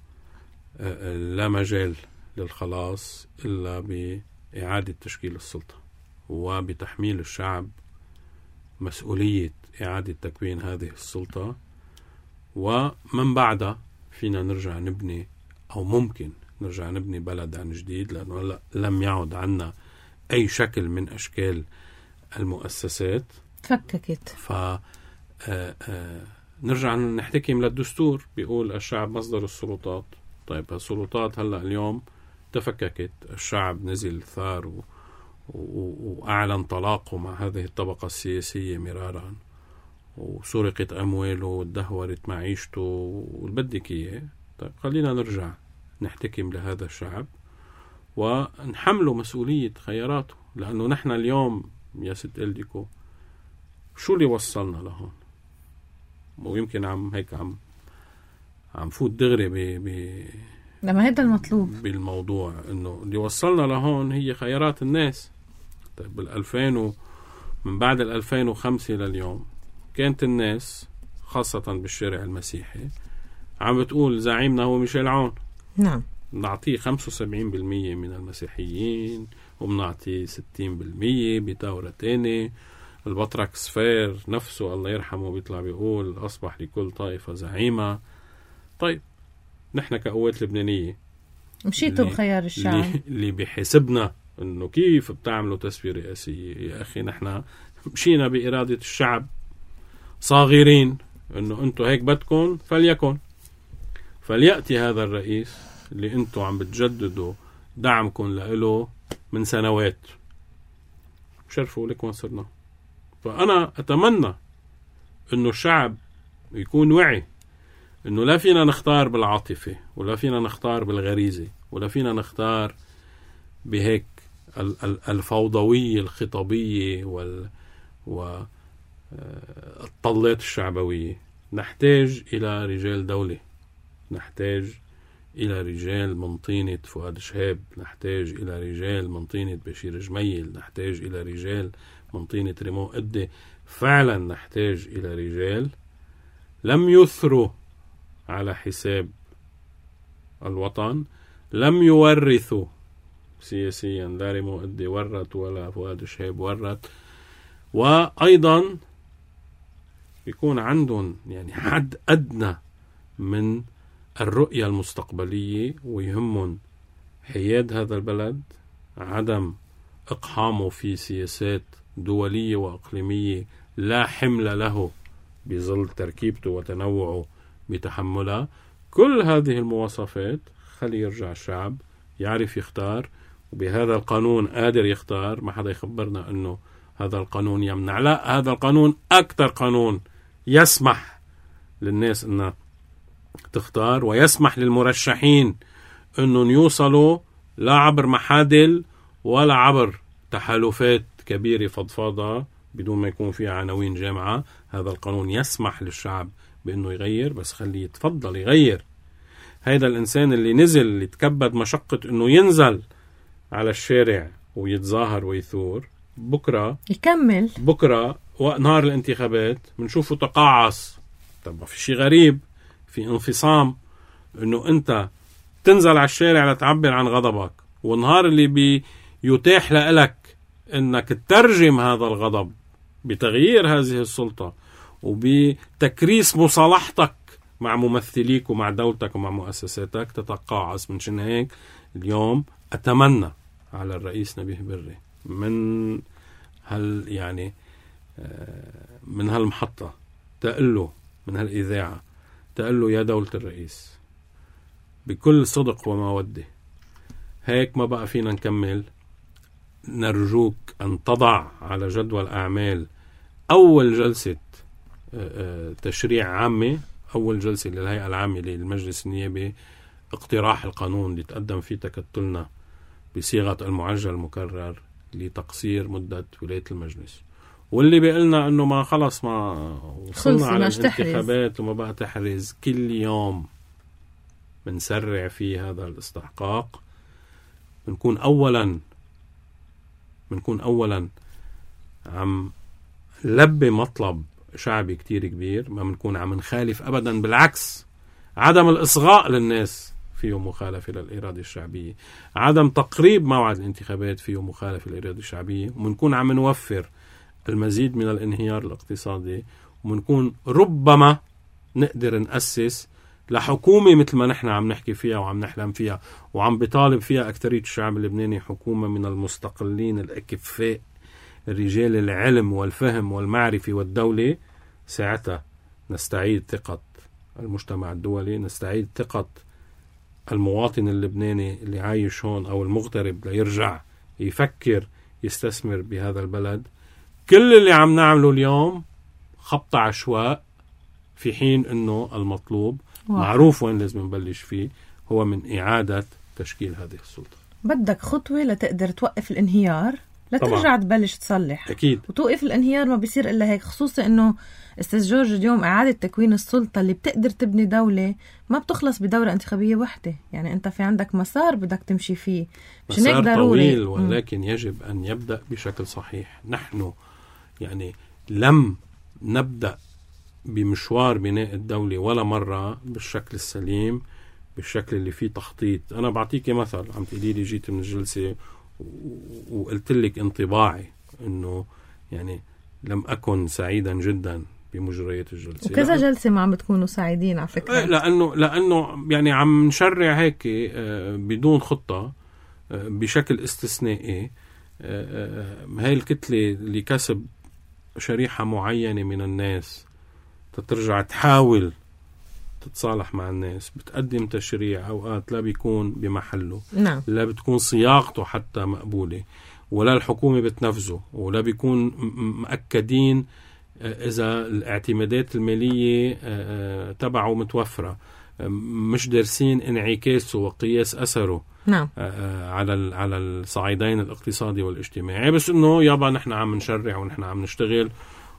لا مجال للخلاص إلا بإعادة تشكيل السلطة وبتحميل الشعب مسؤولية إعادة تكوين هذه السلطة، ومن بعدها فينا نرجع نبني أو ممكن نرجع نبني بلد عن جديد، لأنه لم يعد عنا أي شكل من أشكال المؤسسات فككت. ف نرجع نحتكم للدستور بيقول الشعب مصدر السلطات. طيب السلطات هلأ اليوم تفككت، الشعب نزل ثار و... و... وأعلن طلاقه مع هذه الطبقة السياسية مرارا، وسرقت أمواله وتدهورت معيشته والبدك إياه. طيب خلينا نرجع نحتكم لهذا الشعب ونحمله مسؤولية خياراته، لأنه نحن اليوم يا ست إلديكو شو اللي وصلنا لهون؟ ويمكن عم هيك عم عم فوت دغري ب ب لما هذا المطلوب بالموضوع، إنه اللي وصلنا لهون هي خيارات الناس. طيب بالألفين و من بعد الألفين وخمسة لليوم كانت الناس خاصة بالشارع المسيحي عم بتقول زعيمنا هو ميشيل عون. نعم. نعطيه خمسة وسبعين بالمية من المسيحيين وبنعطيه ستين بالمية بتاورة تاني. البطرك سفير نفسه الله يرحمه بيطلع بيقول أصبح لكل طائفة زعيمة. طيب نحن كقوات لبنانية مشيتوا بخيار الشعب اللي بيحسبنا انه كيف بتعملوا تسوية رئاسية. يا أخي نحن مشينا بإرادة الشعب صاغرين انه انتوا هيك بدكم فليكن، فليأتي هذا الرئيس اللي انتوا عم بتجددوا دعمكم له من سنوات. شرفوا لك وين صرنا. فأنا أتمنى انه الشعب يكون وعي انه لا فينا نختار بالعاطفة ولا فينا نختار بالغريزة ولا فينا نختار بهيك الفوضوية الخطابية وال والطلات الشعبوية. نحتاج إلى رجال دولة، نحتاج إلى رجال من طينة فؤاد شهاب، نحتاج إلى رجال من طينة بشير جميل، نحتاج إلى رجال من طينة ريمون قدي. فعلا نحتاج إلى رجال لم يثروا على حساب الوطن، لم يورثوا سياسيا، لا ريمو قدي ورث ولا فؤاد شهيب ورث، وأيضا بيكون عندهم يعني حد أدنى من الرؤية المستقبلية، ويهمهم حياد هذا البلد، عدم إقحامه في سياسات دولية وإقليمية لا حمل له بظل تركيبته وتنوعه بتحملها. كل هذه المواصفات خلي يرجع الشعب يعرف يختار، وبهذا القانون قادر يختار. ما حدا يخبرنا أنه هذا القانون يمنع، لا، هذا القانون أكثر قانون يسمح للناس أنها تختار، ويسمح للمرشحين أنهم يوصلوا لا عبر محادل ولا عبر تحالفات كبيرة فضفاضة بدون ما يكون فيها عناوين جامعة. هذا القانون يسمح للشعب بأنه يغير، بس خليه يتفضل يغير. هذا الإنسان اللي نزل، اللي تكبد مشقة أنه ينزل على الشارع ويتظاهر ويثور، بكرة يكمل، بكرة وقت نهار الانتخابات بنشوفه تقاعس. طب في شيء غريب، في انفصام أنه أنت تنزل على الشارع لتعبر عن غضبك، والنهار اللي بي يتاح لك أنك تترجم هذا الغضب بتغيير هذه السلطة وبتكريس مصالحتك مع ممثليك ومع دولتك ومع مؤسساتك، تتقاعس. من شان هيك اليوم أتمنى على الرئيس نبيه بري من هل يعني من هالمحطة تقله، من هالإذاعة تقله: يا دولة الرئيس، بكل صدق ومودة، هيك ما بقى فينا نكمل. نرجوك أن تضع على جدول أعمال أول جلسة تشريع عامة، أول جلسة للهيئة العامة للمجلس النيابي، اقتراح القانون اللي تقدم فيه تكتلنا بصيغة المعجل المكرر لتقصير مدة ولاية المجلس. واللي بيقلنا أنه ما خلص ما وصلنا على الانتخابات وما بقى تحرز، كل يوم بنسرع في هذا الاستحقاق. بنكون أولا بنكون أولا عم لبي مطلب شعبي كتير كبير، ما بنكون عم نخالف أبدا، بالعكس، عدم الإصغاء للناس فيه مخالفة للإرادة الشعبية، عدم تقريب موعد الانتخابات فيه مخالفة للإرادة الشعبية، ومنكون عم نوفر المزيد من الانهيار الاقتصادي، ومنكون ربما نقدر نأسس لحكومة مثل ما نحن عم نحكي فيها وعم نحلم فيها وعم بطالب فيها أكترية الشعب اللبناني، حكومة من المستقلين الأكفاء، الرجال العلم والفهم والمعرفة والدولة. ساعتها نستعيد ثقة المجتمع الدولي، نستعيد ثقة المواطن اللبناني اللي عايش هون أو المغترب ليرجع يفكر يستثمر بهذا البلد. كل اللي عم نعمله اليوم خبط عشواء، في حين أنه المطلوب واحد. معروف وين لازم نبلش فيه، هو من إعادة تشكيل هذه السلطة. بدك خطوة لتقدر توقف الانهيار، لترجع طبعا تبلش تصلح. أكيد. وتوقف الانهيار ما بيصير إلا هيك، خصوصا أنه أستاذ جورج اليوم إعادة تكوين السلطة اللي بتقدر تبني دولة ما بتخلص بدورة انتخابية واحدة. يعني أنت في عندك مسار بدك تمشي فيه، مش مسار ضروري طويل، ولكن م. يجب أن يبدأ بشكل صحيح. نحن يعني لم نبدأ بمشوار بناء الدولة ولا مرة بالشكل السليم، بالشكل اللي فيه تخطيط. أنا بعطيك مثل، عم تقولي لي جيت من الجلسة وقلت لك انطباعي أنه يعني لم أكن سعيدا جدا بمجريات الجلسة. وكذا جلسة ما عم بتكونوا سعيدين على فكرة، لأنه لأنه يعني عم نشرع هيك بدون خطة بشكل استثنائي. هاي الكتلة اللي كسب شريحة معينة من الناس تترجع تحاول تتصالح مع الناس، بتقدم تشريع أوقات لا بيكون بمحله، نعم. لا بتكون صياغته حتى مقبولة، ولا الحكومة بتنفذه، ولا بيكون مأكدين إذا الاعتمادات المالية تبعه متوفرة، مش دارسين انعكاسه وقياس أثره نعم. على على الصعيدين الاقتصادي والاجتماعي. بس إنه يابا نحن عم نشرع ونحن عم نشتغل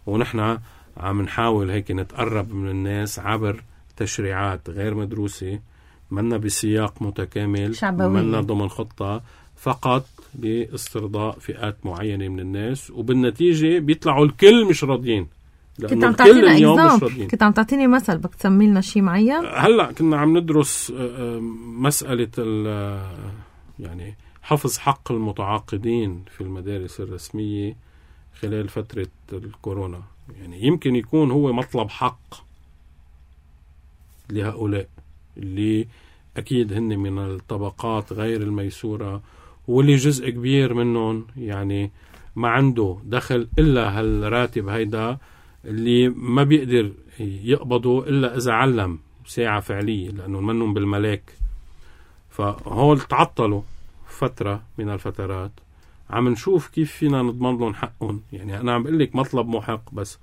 ونحن عم نحاول هيك نتقرب من الناس عبر تشريعات غير مدروسة، منا بسياق متكامل، منا ضمن خطة، فقط لاسترضاء فئات معينة من الناس، وبالنتيجة بيطلعوا الكل مش راضيين كنت عم تعطينا إكزامبل، كنت عم تعطيني مثل، بدك تسمي لنا شيء معين؟ هلا كنا عم ندرس مسألة يعني حفظ حق المتعاقدين في المدارس الرسمية خلال فترة الكورونا. يعني يمكن يكون هو مطلب حق لهؤلاء اللي أكيد هن من الطبقات غير الميسورة، واللي جزء كبير منهم يعني ما عنده دخل إلا هالراتب هيدا اللي ما بيقدر يقبضه إلا إذا علم ساعة فعلية، لأنه منهم بالملاك. فهول تعطلوا فترة من الفترات، عم نشوف كيف فينا نضمن لهم حقهم. يعني أنا عم بقول لك مطلب محق، بس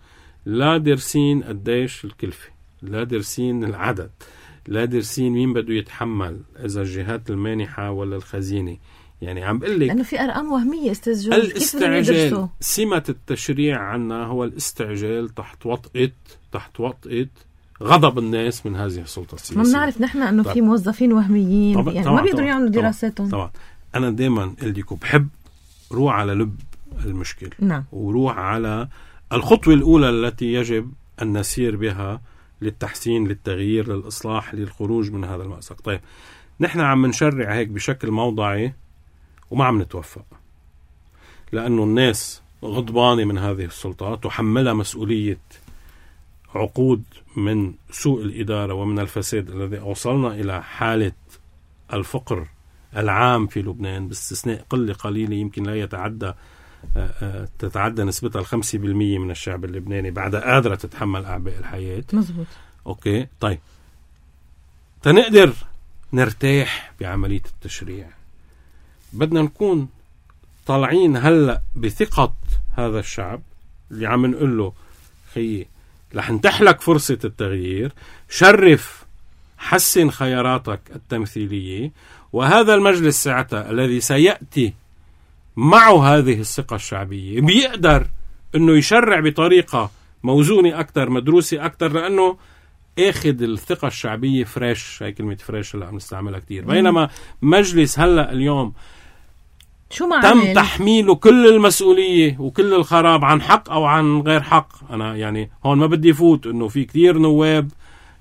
لا درسين قديش الكلفة، لا درسين العدد، لا درسين مين بده يتحمل، إذا الجهات المانحة ولا الخزينة. يعني عم بقول لك لأنه في أرقام وهمية استاذ جورج. الاستعجال، سمة التشريع عنا هو الاستعجال تحت وطئة تحت وطئة غضب الناس من هذه السلطة السياسية. ما بنعرف نحن أنه في موظفين وهميين طبعًا يعني طبعًا ما بيقدروا طبعًا يعملوا طبعًا دراساتهم. طبعا أنا دايما قلتكم بحب روح على لب المشكلة. نعم. وروح على الخطوة الأولى التي يجب أن نسير بها للتحسين، للتغيير، للإصلاح، للخروج من هذا المأزق. طيب نحن عم نشرع هيك بشكل موضعي وما عم نتوفق، لأنه الناس غضبانة من هذه السلطة، تحملها مسؤولية عقود من سوء الإدارة ومن الفساد الذي أوصلنا إلى حالة الفقر العام في لبنان، باستثناء قلة قليلة يمكن لا يتعدى تتعدى نسبتها الخمسة بالمية من الشعب اللبناني بعد قادرة تتحمل أعباء الحياة. مزبوط. أوكي طيب تنقدر نرتاح بعملية التشريع، بدنا نكون طالعين هلأ بثقة هذا الشعب اللي عم نقول له خيي رح نتحلك فرصة التغيير، شرف، حسن خياراتك التمثيلية، وهذا المجلس ساعتها الذي سيأتي معه هذه الثقة الشعبية بيقدر انه يشرع بطريقة موزونة اكتر، مدروسة اكتر، لانه اخذ الثقة الشعبية فريش. هاي كلمة فريش اللي عم نستعملها كتير. بينما مجلس هلأ اليوم شو ما تم عمل؟ تحميله كل المسؤولية وكل الخراب عن حق أو عن غير حق. أنا يعني هون ما بدي فوت إنه في كتير نواب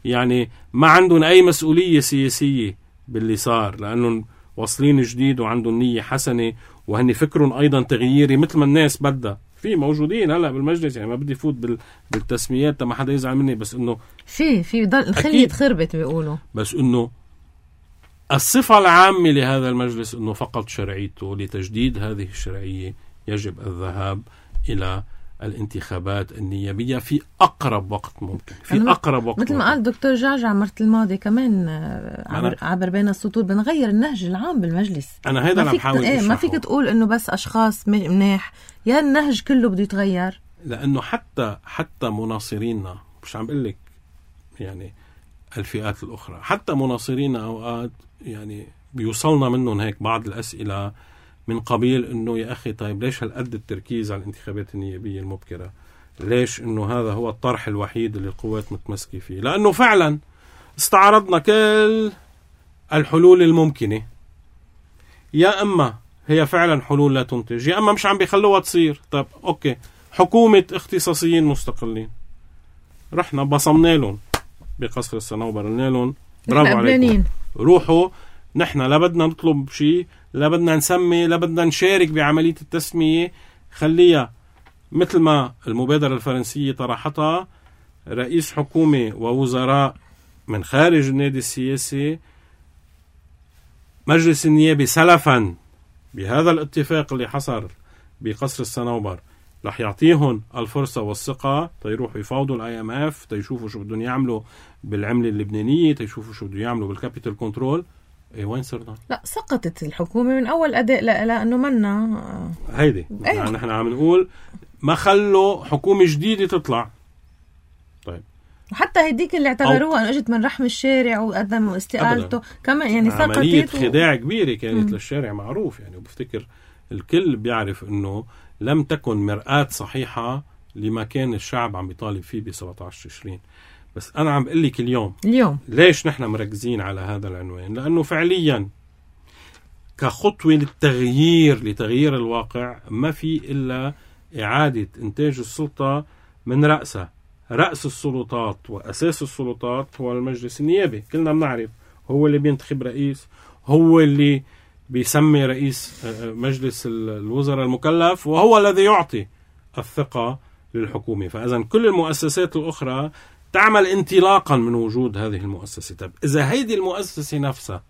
يعني ما عندهم أي مسؤولية سياسية باللي صار، لأنهم واصلين جديد وعندهم نية حسنة وهن فكرهم أيضا تغييري مثل ما الناس بدها. في موجودين هلا بالمجلس، يعني ما بدي فوت بال... بالتسميات ما حدا يزعل مني، بس إنه في في ضل الخلية خربت بيقولوا، بس إنه الصفة العامة لهذا المجلس أنه فقط شرعيته. لتجديد هذه الشرعية يجب الذهاب إلى الانتخابات النيابية في أقرب وقت ممكن، في أقرب وقت مثل ما قال دكتور جعجع مرت الماضي كمان عبر, عبر بين السطور بنغير النهج العام بالمجلس. أنا هيدا أنا بحاول ايه ما فيك تقول إنه بس أشخاص منيح، يا النهج كله بده يتغير. لأنه حتى حتى مناصريننا، مش عم بقول لك يعني الفئات الأخرى، حتى مناصريننا أوقات يعني بيوصلنا منهم هيك بعض الأسئلة من قبيل إنه يا أخي طيب ليش هالقد التركيز على الانتخابات النيابية المبكرة؟ ليش إنه هذا هو الطرح الوحيد اللي القوات متمسكة فيه؟ لأنه فعلا استعرضنا كل الحلول الممكنة، يا أما هي فعلا حلول لا تنتج، يا أما مش عم بيخلوها تصير. طيب أوكي، حكومة اختصاصيين مستقلين، رحنا بصمنا لهم بقصر الصنوبر، قلنا لهم برافو عليكم، روحوا. نحن لا بدنا نطلب شيء، لا بدنا نسمي، لا بدنا نشارك بعملية التسمية، خليها مثل ما المبادرة الفرنسية طرحتها، رئيس حكومة ووزراء من خارج النادي السياسي، مجلس النيابي سلفا بهذا الاتفاق اللي حصل بقصر الصنوبر رح يعطيهم الفرصة والثقة تيروحوا يفاوضوا الاي ام اف، تيشوفوا شو بدهم يعملوا بالعملة اللبنانية، تيشوفوا شو بدهم يعملوا بالكابيتال كنترول. ايه وين صرنا؟ لا سقطت الحكومة من اول اداء لا لانه منا هيدي أيه. يعني نحن عم نقول ما خلوا حكومة جديدة تطلع. طيب وحتى هديك اللي اعتبروها انه اجت من رحم الشارع وقدموا استقالته كمان، يعني سقطت. عملية خداع كبيرة كانت م. للشارع معروف يعني، وبفتكر الكل بيعرف انه لم تكن مرآة صحيحة لما كان الشعب عم يطالب فيه ب سبعة عشر تشرين. بس أنا عم بقول لك اليوم اليوم ليش نحن مركزين على هذا العنوان؟ لأنه فعليا كخطوة للتغيير لتغيير الواقع ما في إلا إعادة إنتاج السلطة من رأسها رأس السلطات وأساس السلطات هو المجلس النيابي. كلنا بنعرف هو اللي بينتخب رئيس، هو اللي بيسمي رئيس مجلس الوزراء المكلف، وهو الذي يعطي الثقة للحكومة. فإذا كل المؤسسات الأخرى تعمل انطلاقا من وجود هذه المؤسسة. طب إذا هيدي المؤسسة نفسها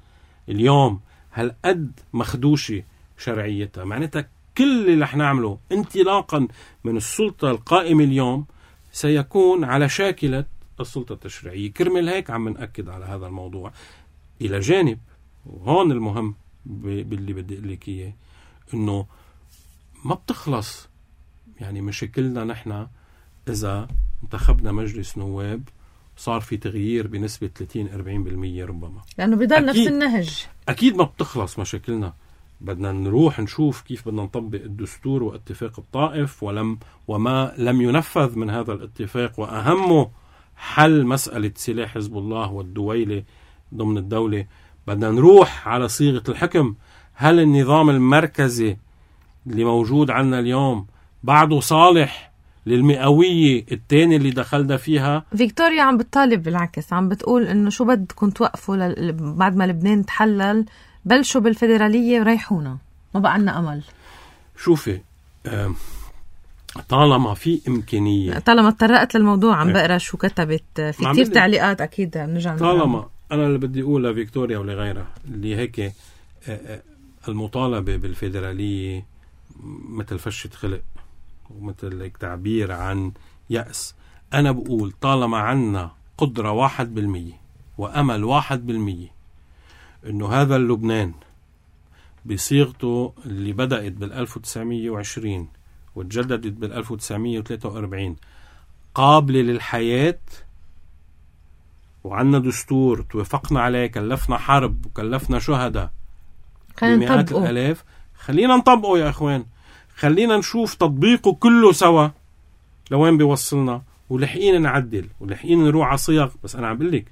اليوم هل قد مخدوشة شرعيتها، معناتها كل اللي رح نعمله انطلاقا من السلطة القائمة اليوم سيكون على شاكلة السلطة التشريعية. كرمل هيك عم نأكد على هذا الموضوع. إلى جانب، وهون المهم باللي بدي أقول لك إياه، إنه ما بتخلص يعني مشاكلنا نحن إذا انتخبنا مجلس نواب صار في تغيير بنسبة ثلاثين أربعين بالمية ربما، لأنه بضل نفس النهج. أكيد ما بتخلص مشاكلنا. بدنا نروح نشوف كيف بدنا نطبق الدستور واتفاق الطائف ولم وما لم ينفذ من هذا الاتفاق، وأهمه حل مسألة سلاح حزب الله والدويلة ضمن الدولة. بدنا نروح على صيغة الحكم. هل النظام المركزي اللي موجود عنا اليوم بعده صالح للمئوية الثانية اللي دخلنا فيها؟ فيكتوريا عم بتطالب بالعكس، عم بتقول إنه شو بدكم توقفوا ل... بعد ما لبنان تحلل بلشوا بالفيدرالية وريحونا، ما بقى عنا أمل. شوفي، طالما في إمكانية، طالما اتطرقت للموضوع عم بقرأ شو كتبت في كتير تعليقات أكيد بنرجع. طالما أنا اللي بدي أقول لفيكتوريا ولغيرها اللي هيك المطالبة بالفيدرالية مثل فشة خلق ومثل تعبير عن يأس. أنا بقول طالما عنا قدرة واحد بالمية وأمل واحد بالمية إنه هذا اللبنان بصيغته اللي بدأت بالألف وتسعمية وعشرين وتجددت بالألف وتسعمية وثلاثة وأربعين قابلة للحياة، وعنا دستور توافقنا عليه، كلفنا حرب وكلفنا شهداء بمئات الآلاف، خلينا نطبقه يا أخوان. خلينا نشوف تطبيقه كله سوا لوين بيوصلنا، ولحقين نعدل ولحقين نروح على صيغ. بس أنا عم بقول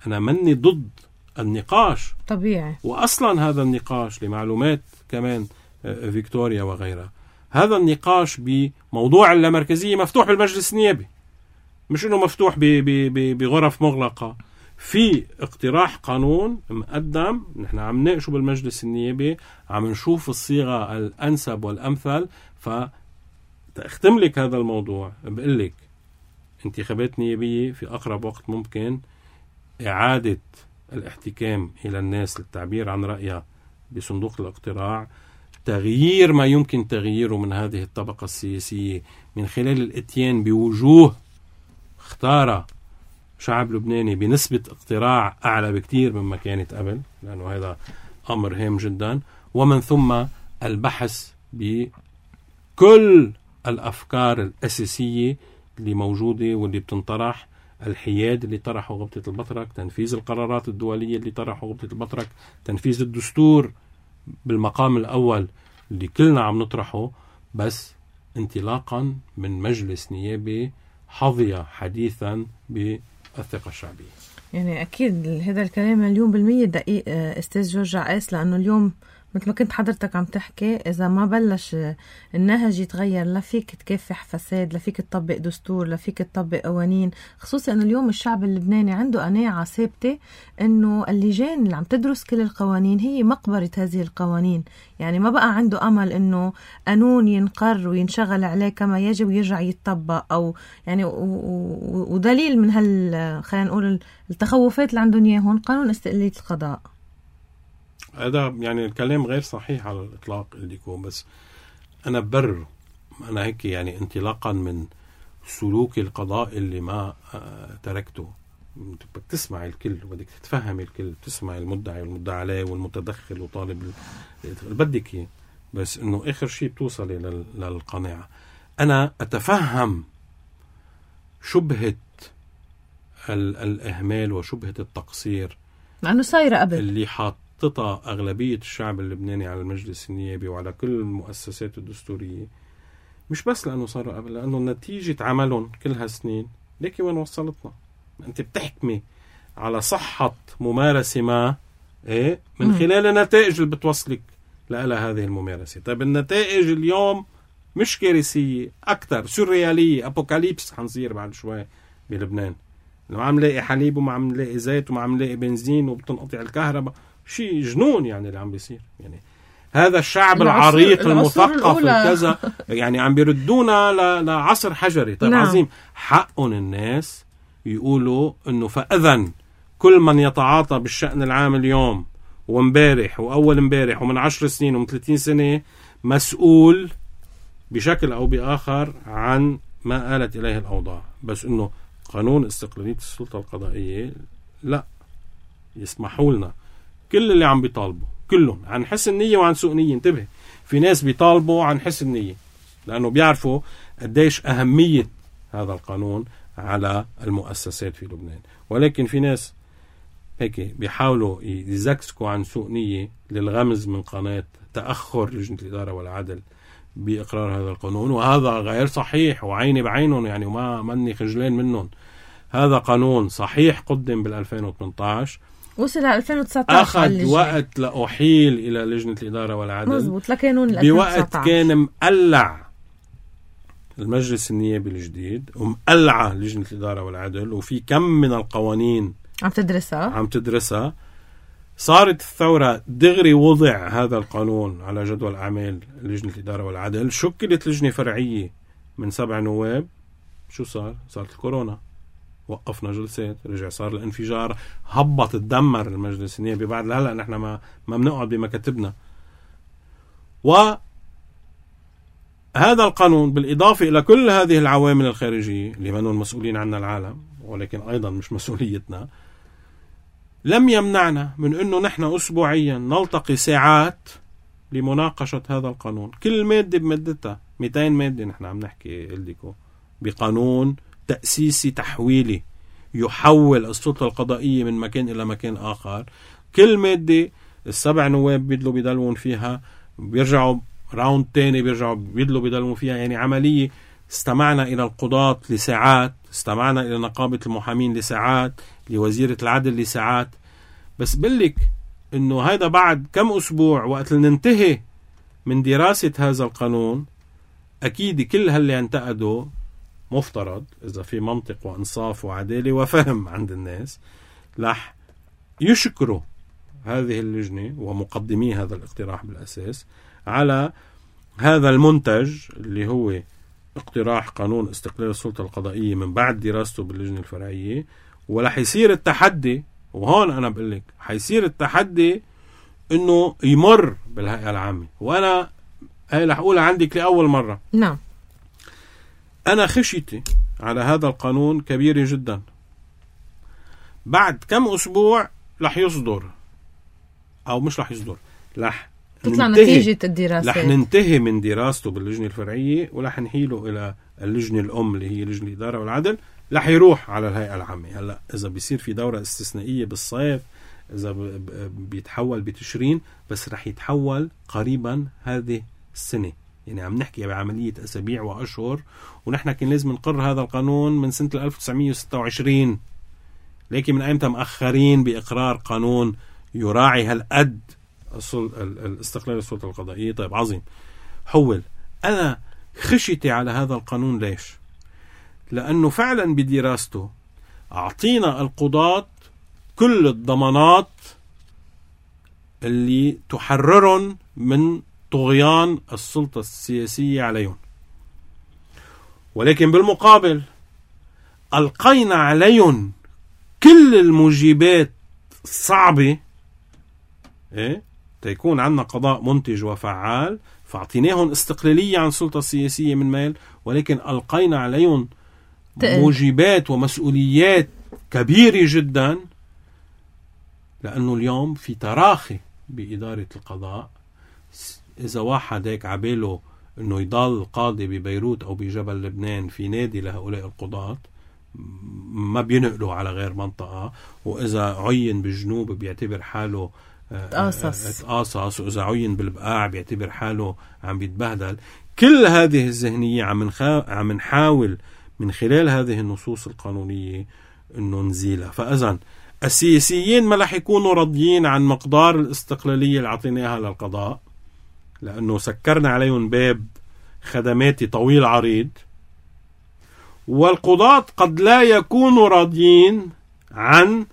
أنا مني ضد النقاش طبيعي، وأصلا هذا النقاش لمعلومات كمان فيكتوريا وغيرها، هذا النقاش بموضوع اللامركزية مفتوح بالمجلس النيابي، مش إنه مفتوح بغرف مغلقة. في اقتراح قانون مقدم، نحن عم نناقشه بالمجلس النيابي، عم نشوف الصيغة الأنسب والأمثل. فتختم لك هذا الموضوع بقول لك انتخابات نيابية في أقرب وقت ممكن، إعادة الاحتكام إلى الناس للتعبير عن رأيها بصندوق الاقتراع، تغيير ما يمكن تغييره من هذه الطبقة السياسية من خلال الاتيان بوجوه اختار شعب لبناني بنسبة اقتراع أعلى بكتير مما كانت قبل، لأنه هذا أمر هام جدا. ومن ثم البحث بكل الأفكار الأساسية اللي موجودة واللي بتنطرح، الحياد اللي طرحه غبطة البطرك، تنفيذ القرارات الدولية اللي طرحه غبطة البطرك، تنفيذ الدستور بالمقام الأول اللي كلنا عم نطرحه، بس انطلاقا من مجلس نيابي حظي حديثا بالثقة الشعبية. يعني أكيد هذا الكلام مليون بالمية دقيق أستاذ جورج عقاس، لأنه اليوم مثل ما كنت حضرتك عم تحكي، إذا ما بلش النهج يتغير لا فيك تكافح فساد، لا فيك تطبق دستور، لا فيك تطبق قوانين، خصوصا أنه اليوم الشعب اللبناني عنده قناعة ثابتة أنه اللجان اللي عم تدرس كل القوانين هي مقبرة هذه القوانين. يعني ما بقى عنده أمل أنه قانون ينقر وينشغل عليه كما يجب ويرجع يتطبق، أو يعني ودليل من هال خلينا نقول التخوفات اللي عندهم إياهم قانون استقلالية القضاء. هذا يعني الكلام غير صحيح على الإطلاق اللي يكون، بس أنا ببرر أنا هيك يعني انطلاقا من سلوك القضاء اللي ما تركته. بدك تسمع الكل وبدك تتفهم الكل، تسمع المدعي والمدعى عليه والمتدخل وطالب بدك اياه، بس إنه آخر شيء بتوصلي للقناعة. أنا أتفهم شبهة الإهمال وشبهة التقصير لأنه صايرة قبل اللي حاط تطأ أغلبية الشعب اللبناني على المجلس النيابي وعلى كل المؤسسات الدستورية، مش بس لأنه صار قبل، لأنه نتيجة عملهم كل هالسنين ليكي وين وصلتنا. أنت بتحكمي على صحة ممارسة ما إيه من خلال النتائج اللي بتوصلك لها هذه الممارسة. طيب النتائج اليوم مش كارثية، أكتر سوريالية، أبوكاليبس حنصير بعد شوي بلبنان. ما عم لاقي حليب وما عم لاقي زيت وما عم لاقي بنزين وبتنقطع الكهرباء، شيء جنون يعني اللي عم بيصير. يعني هذا الشعب العريق المثقف الكذا يعني عم بيردونا لعصر حجري. طيب نعم. عظيم، حقهم الناس يقولوا انه فاذا كل من يتعاطى بالشأن العام اليوم ومبارح واول مبارح ومن عشر سنين ومن ثلاثين سنة مسؤول بشكل او باخر عن ما آلت اليه الاوضاع. بس انه قانون استقلالية السلطة القضائية لا يسمحوا لنا كل اللي عم بيطالبوا كلهم عن حسن نية وعن سوء نية. انتبه، في ناس بيطالبوا عن حسن نية لأنه بيعرفوا قديش أهمية هذا القانون على المؤسسات في لبنان، ولكن في ناس هيك بيحاولوا يزكسكوا عن سوء نية للغمز من قناة تأخر لجنة الإدارة والعدل بإقرار هذا القانون. وهذا غير صحيح وعيني بعينهم يعني وما مني خجلان منهم. هذا قانون صحيح قدم بالألفين وثمانية عشر، وصل ل ألفين وتسعة عشر، أخذ وقت لأحيل إلى لجنة الإدارة والعدل مزبوط لكانون بوقت كان مقلع المجلس النيابي الجديد ومقلعة لجنة الإدارة والعدل وفي كم من القوانين عم تدرسها عم تدرسها. صارت الثورة دغري وضع هذا القانون على جدول أعمال لجنة الإدارة والعدل، شكلت لجنة فرعية من سبع نواب. شو صار؟ صارت الكورونا، وقفنا جلسات، رجع صار الانفجار، هبط تدمر المجلس النيابي. بعد هلا نحن ما ما بنقعد بمكاتبنا. وهذا القانون بالإضافة إلى كل هذه العوامل الخارجية اللي منهم مسؤولين عنها العالم ولكن أيضا مش مسؤوليتنا، لم يمنعنا من أنه نحن أسبوعيا نلتقي ساعات لمناقشة هذا القانون. كل مادة بمادتها، مئتين مادة نحن عم نحكي لكم بقانون تأسيسي تحويلي يحول السلطة القضائية من مكان إلى مكان آخر. كل مادة السبع نواب بيدلوا بيدلون فيها، بيرجعوا راوند تاني بيرجعوا بيدلوا بيدلون فيها. يعني عملية استمعنا إلى القضاة لساعات، استمعنا إلى نقابة المحامين لساعات، لوزيرة العدل لساعات. بس بقلك إنه هذا بعد كم أسبوع وقت ننتهي من دراسة هذا القانون أكيد كل هاللي انتقدوا مفترض إذا في منطق وإنصاف وعدالة وفهم عند الناس لح يشكروا هذه اللجنة ومقدمي هذا الاقتراح بالأساس على هذا المنتج اللي هو اقتراح قانون استقلال السلطة القضائية من بعد دراسته باللجنة الفرعية. ورح يصير التحدي، وهون أنا بقولك حيصير التحدي إنه يمر بالهيئة العامة. وأنا هاي رح أقولها عندك لأول مرة. نعم، أنا خشيتي على هذا القانون كبيرة جدا. بعد كم أسبوع رح يصدر أو مش رح يصدر، رح تطلع نتيجة الدراسة، رح ننتهي من دراسته باللجنة الفرعية ورح نحيله إلى اللجنة الأم اللي هي لجنة الإدارة والعدل، رح يروح على الهيئة العامة. هلا إذا بيصير في دورة استثنائية بالصيف، إذا بيتحول بتشرين، بس رح يتحول قريبا هذه السنة. يعني عم نحكي بعملية أسابيع وأشهر، ونحن كان لازم نقر هذا القانون من سنة ألف وتسعمية وستة وعشرين، لكن من أيمتى مأخرين بإقرار قانون يراعي هالقد الاستقلال السلطة القضائية. طيب عظيم، حول. أنا خشيتي على هذا القانون ليش؟ لأنه فعلا بدراسته أعطينا القضاة كل الضمانات اللي تحررهم من طغيان السلطة السياسية عليهم، ولكن بالمقابل ألقينا عليهم كل الموجبات الصعبة إيه؟ تيكون عندنا قضاء منتج وفعال. فاعطيناهم استقلالية عن السلطة السياسية من ميل، ولكن ألقينا عليهم موجبات ومسؤوليات كبيرة جدا، لأنه اليوم في تراخي بإدارة القضاء. إذا واحد هيك عباله أنه يضل قاضي ببيروت أو بجبل لبنان في نادي لهؤلاء القضاة، ما بينقلوا على غير منطقة. وإذا عين بالجنوب بيعتبر حاله تقاصص تقاصص، وإذا عين بالبقاع بيعتبر حاله عم بيتبهدل. كل هذه الذهنية عم نخا... عم نحاول من خلال هذه النصوص القانونية أنه نزيلها. فإذن السياسيين ما رح يكونوا راضيين عن مقدار الاستقلالية اللي عطيناها للقضاء، لأنه سكرنا عليهم باب خدماتي طويل عريض. والقضاة قد لا يكونوا راضيين عن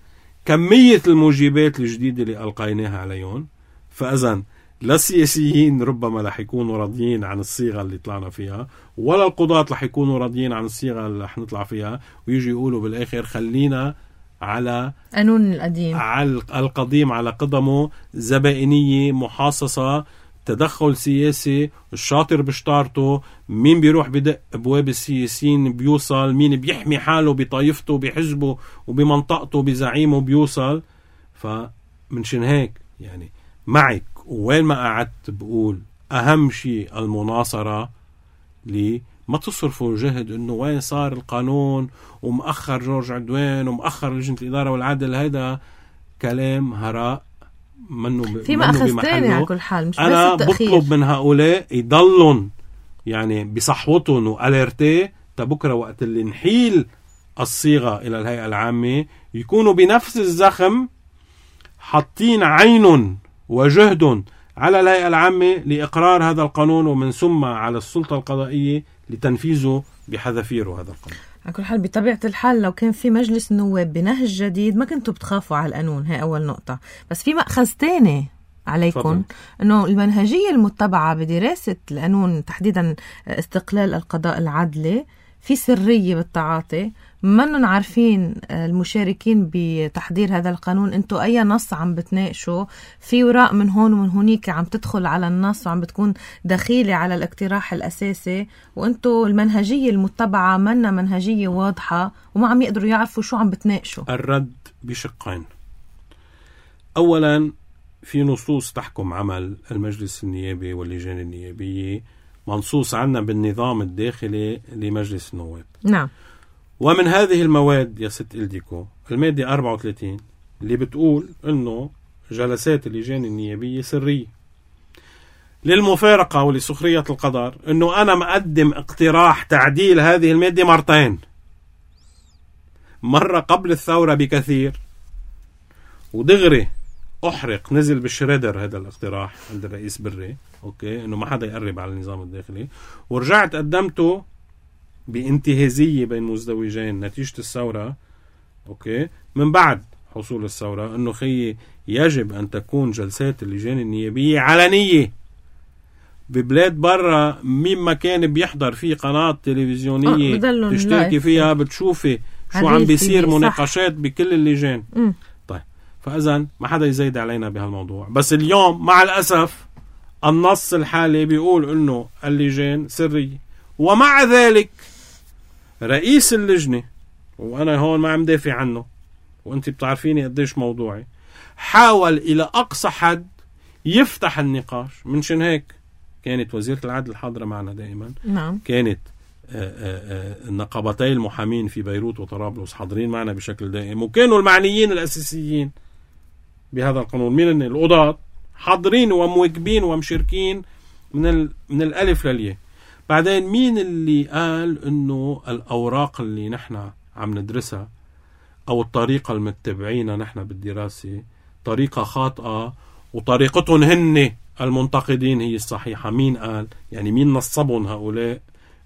كمية الموجبات الجديدة اللي ألقيناها عليهم. فإذن لا السياسيين ربما رح يكونوا راضيين عن الصيغة اللي طلعنا فيها، ولا القضاة رح يكونوا راضيين عن الصيغة اللي رح نطلع فيها، ويجي يقولوا بالآخر خلينا على قانون القديم، على القديم على قدمه، زبائنية محاصصة، تدخل سياسي، الشاطر بشطارته، مين بيروح بدق أبواب السياسيين بيوصل، مين بيحمي حاله بطائفته بحزبه وبمنطقته بزعيمه بيوصل. فمنشان هيك يعني معك وين ما قعدت بقول أهم شيء المناصرة، لي ما تصرفوا جهد إنه وين صار القانون ومأخر جورج عدوان ومأخر لجنة الإدارة والعدل. هيدا كلام هراء منه في مأخذ تاني على كل حال، مش أنا بس التأخير. بطلب من هؤلاء يضلون يعني بصحوتهم وأليرتي تبكرة وقت اللي نحيل الصيغة إلى الهيئة العامة يكونوا بنفس الزخم حاطين عين وجهد على الهيئة العامة لإقرار هذا القانون، ومن ثم على السلطة القضائية لتنفيذه بحذافيره هذا القانون. على كل حال بطبيعة الحال لو كان في مجلس نواب بنهج جديد ما كنتوا بتخافوا على القانون، هاي أول نقطة. بس في مأخذ تاني عليكم، أنه المنهجية المتبعة بدراسة القانون تحديدا استقلال القضاء العدلي في سرية بالتعاطي. منن عارفين المشاركين بتحضير هذا القانون انتو اي نص عم بتناقشوا، في وراء من هون ومن هونيك عم تدخل على النص وعم بتكون دخيلة على الاقتراح الاساسي، وانتو المنهجية المتبعة منا منهجية واضحة وما عم يقدروا يعرفوا شو عم بتناقشوا. الرد بشقين. اولا في نصوص تحكم عمل المجلس النيابي واللجان النيابية منصوص عنا بالنظام الداخلي لمجلس النواب. نعم. ومن هذه المواد يا ست إلديكو المادة أربعة وثلاثين اللي بتقول إنه جلسات اللجان النيابية سرية. للمفارقة ولسخرية القدر إنه أنا مقدم اقتراح تعديل هذه المادة مرتين، مرة قبل الثورة بكثير ودغري أحرق نزل بالشريدر هذا الاقتراح عند الرئيس بري، أوكي، إنه ما حدا يقرب على النظام الداخلي، ورجعت قدمته بانتهازية بين مزدوجين نتيجة الثورة، أوكي، من بعد حصول الثورة، إنه خي يجب أن تكون جلسات اللجان النيابية علنية. ببلاد برا مين ما كان بيحضر في قناة تلفزيونية آه تشتركي فيها بتشوفي شو عم بيصير مناقشات بكل اللجان. م. طيب فإذن ما حدا يزيد علينا بهالموضوع. بس اليوم مع الأسف النص الحالي بيقول إنه اللجان سرية، ومع ذلك رئيس اللجنة، وأنا هون ما عم دافع عنه وأنت بتعرفيني قديش موضوعي، حاول إلى أقصى حد يفتح النقاش. منشان هيك كانت وزيرة العدل حاضرة معنا دائما. نعم. كانت النقابتي المحامين في بيروت وطرابلس حاضرين معنا بشكل دائم، وكانوا المعنيين الأساسيين بهذا القانون من القضاة حاضرين ومواكبين ومشاركين من من الألف للياء. بعدين مين اللي قال إنه الأوراق اللي نحن عم ندرسها أو الطريقة المتبعينها نحن بالدراسة طريقة خاطئة وطريقتهم هن المنتقدين هي الصحيحة؟ مين قال؟ يعني مين نصبهم هؤلاء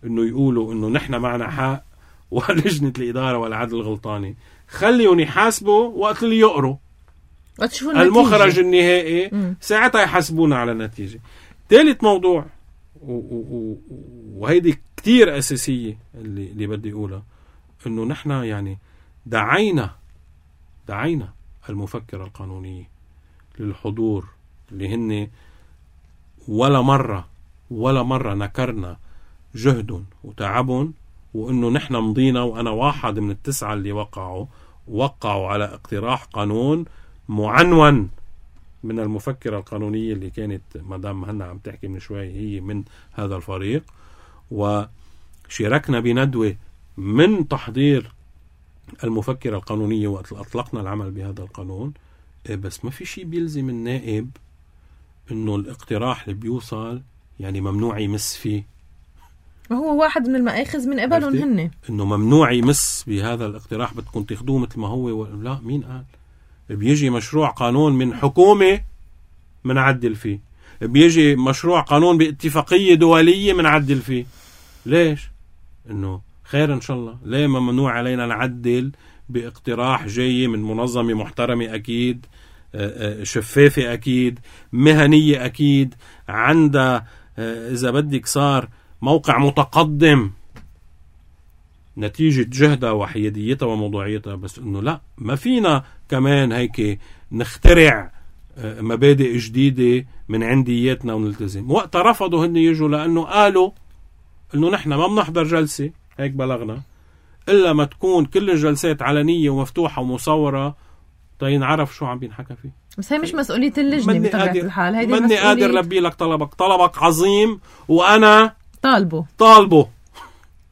إنه يقولوا إنه نحن معنا حق ولجنة الإدارة والعدل غلطاني؟ خليهم يحاسبوا وقت اللي يقروا المخرج النهائي، م. ساعتها يحاسبونا على النتيجة. ثالث موضوع وهيدي كتير أساسية اللي, اللي بدي أقولها، إنه نحن يعني دعينا دعينا المفكرة القانونية للحضور اللي هن ولا مرة ولا مرة نكرنا جهدهم وتعبهم، وإنه نحن مضينا. وأنا واحد من التسعة اللي وقعوا وقعوا على اقتراح قانون معنون من المفكرة القانونية اللي كانت مدام مهنا عم تحكي من شوي هي من هذا الفريق، وشاركنا بندوة من تحضير المفكرة القانونية وقت أطلقنا العمل بهذا القانون. بس ما في شيء بيلزم النائب إنه الاقتراح اللي بيوصل يعني ممنوع يمس فيه. هو واحد من المآخذ من قبلهم هن إنه ممنوع يمس بهذا الاقتراح، بدكم تاخدوه مثل ما هو و... لا، مين قال؟ بيجي مشروع قانون من حكومة منعدل فيه، بيجي مشروع قانون باتفاقية دولية منعدل فيه. ليش؟ إنه خير إن شاء الله. ليه ممنوع علينا نعدل باقتراح جاي من منظمة محترمة أكيد، شفافة أكيد، مهنية أكيد، عندها إذا بدك صار موقع متقدم نتيجة جهدها وحياديتها وموضوعيتها. بس إنه لا، ما فينا كمان هيك نخترع مبادئ جديدة من عندياتنا ونلتزم. وقت رفضوا هن يجوا لأنه قالوا إنه نحن ما بنحضر جلسة، هيك بلغنا، إلا ما تكون كل الجلسات علنية ومفتوحة ومصورة تينعرف شو عم بينحكى فيه. بس هي مش مسؤولية اللجنة بطبيعة الحال، هيدي مني قادر لبي لك طلبك، طلبك عظيم وأنا طالبه طالبه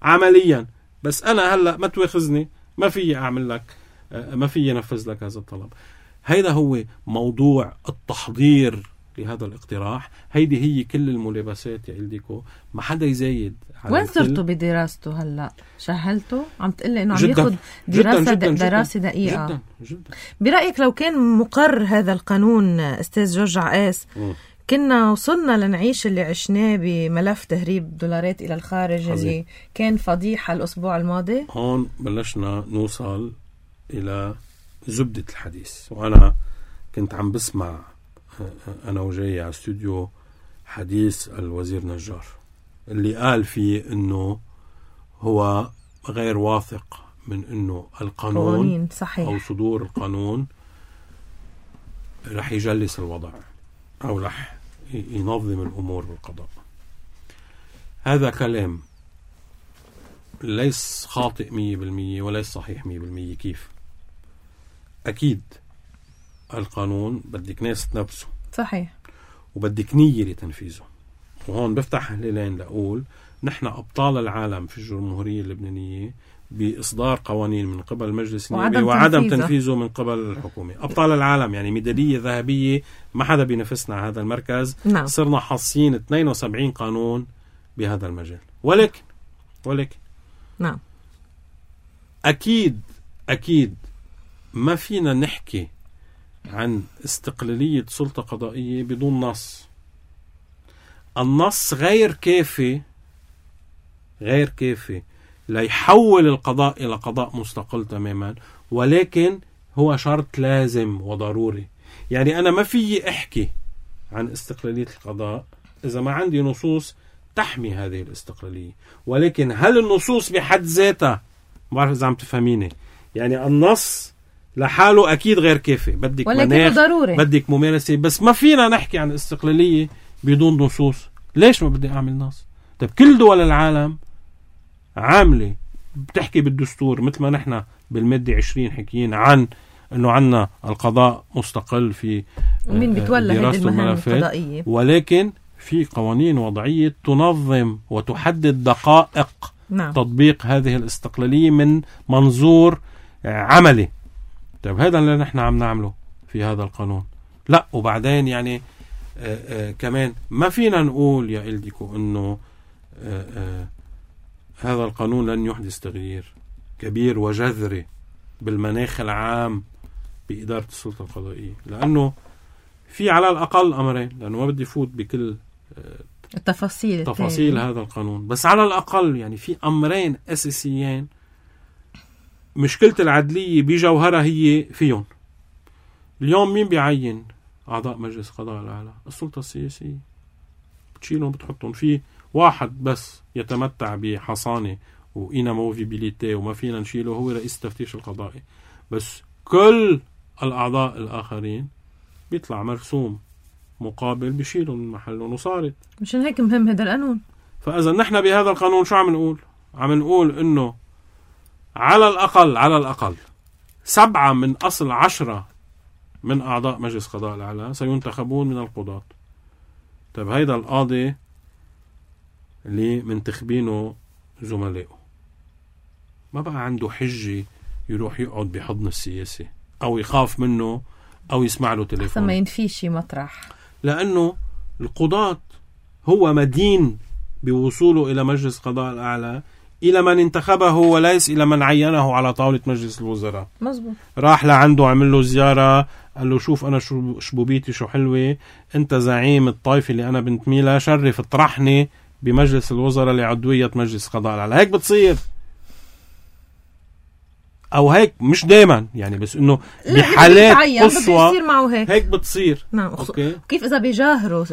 عمليا، بس أنا هلأ ما تواخذني، ما في أعمل لك، ما في ينفذ لك هذا الطلب. هيدا هو موضوع التحضير لهذا الاقتراح. هيدي هي كل الملابسات يا إلديكو، ما حدا يزايد. وين صرتوا بدراسته هلأ؟ شهلته؟ عم تقلي إنه عم ياخد دراسة جداً جداً دراسة جداً دقيقة جداً جداً. برأيك لو كان مقر هذا القانون أستاذ جورج عقاس م. كنا وصلنا لنعيش اللي عشناه بملف تهريب دولارات إلى الخارج حزين. اللي كان فضيحة الأسبوع الماضي. هون بلشنا نوصل إلى زبدة الحديث. وأنا كنت عم بسمع أنا وجاي على استوديو حديث الوزير نجار اللي قال فيه إنه هو غير واثق من إنه القانون صحيح. أو صدور القانون رح يجلس الوضع أو رح ينظم الأمور بالقضاء. هذا كلام ليس خاطئ مية بالمية وليس صحيح مية بالمية. كيف؟ أكيد القانون بدك ناس تنفذه، صحيح، وبدك نية لتنفيذه. وهون بفتح هلالين لأقول نحن أبطال العالم في الجمهورية اللبنانية بإصدار قوانين من قبل المجلس النيابي وعدم تنفيذه. تنفيذه من قبل الحكومة. أبطال العالم يعني ميدالية ذهبية، ما حدا بينافسنا على هذا المركز. نعم. صرنا حاصين اثنين وسبعين قانون بهذا المجال. ولكن ولكن نعم أكيد أكيد ما فينا نحكي عن استقلالية سلطة قضائية بدون نص. النص غير كافي غير كافي ليحول القضاء إلى قضاء مستقل تماما، ولكن هو شرط لازم وضروري. يعني أنا ما في أحكي عن استقلالية القضاء إذا ما عندي نصوص تحمي هذه الاستقلالية. ولكن هل النصوص بحد ذاتها، ما بعرف إذا عم تفهميني، يعني النص لحاله أكيد غير كافي، بدك مناخ، بدك ممارسة، بس ما فينا نحكي عن استقلالية بدون نصوص. ليش ما بدي أعمل نص؟ طيب كل دول العالم عاملة بتحكي بالدستور، مثل ما نحن بالمادة عشرين حكيين عن أنه عنا القضاء مستقل في دراسة الملفات، ولكن في قوانين وضعية تنظم وتحدد دقائق نعم. تطبيق هذه الاستقلالية من منظور عملي. طيب هذا اللي نحن عم نعمله في هذا القانون. لا، وبعدين يعني آآ آآ كمان ما فينا نقول يا إلديكو أنه آآ آآ هذا القانون لن يحدث تغيير كبير وجذري بالمناخ العام بإدارة السلطة القضائية، لأنه في على الأقل أمرين، لأنه ما بدي فوت بكل التفاصيل تفاصيل هذا القانون، بس على الأقل يعني في أمرين أساسيين مشكلة العدلية بجوهرها هي فيهم. اليوم مين بيعين أعضاء مجلس قضاء الأعلى؟ السلطة السياسية. بتشيلهم بتحطهم في واحد بس يتمتع بحصانة وإناموفيبيليتي وما فينا نشيله، هو رئيس التفتيش القضائي. بس كل الأعضاء الآخرين بيطلع مرسوم مقابل بيشيلهم من محلهم، وصارت مشان هيك مهم هذا القانون. فإذا نحن بهذا القانون شو عم نقول؟ عم نقول إنه على الأقل على الأقل سبعة من أصل عشرة من أعضاء مجلس قضاء الأعلى سينتخبون من القضاة. طيب هيدا القاضي اللي منتخبينه زملائه ما بقى عنده حجة يروح يقعد بحضن السياسي أو يخاف منه أو يسمع له تليفون، أحسن ما ينفيش مطرح، لأنه القضاة هو مدين بوصوله إلى مجلس قضاء الأعلى إلى من انتخبه وليس إلى من عينه على طاولة مجلس الوزراء. مزبوط. راح لعنده عمل له زيارة، قال له شوف أنا شبوبيتي شو حلوة، أنت زعيم الطائفة اللي أنا بنتمي لها، شرف اطرحني بمجلس الوزراء لعضوية مجلس قضاء الأعلى. هيك بتصير او هيك مش دائما يعني، بس انه بحالات قصوى بصير معه هيك هيك بتصير. نعم. أوكي. كيف اذا بيجاهروا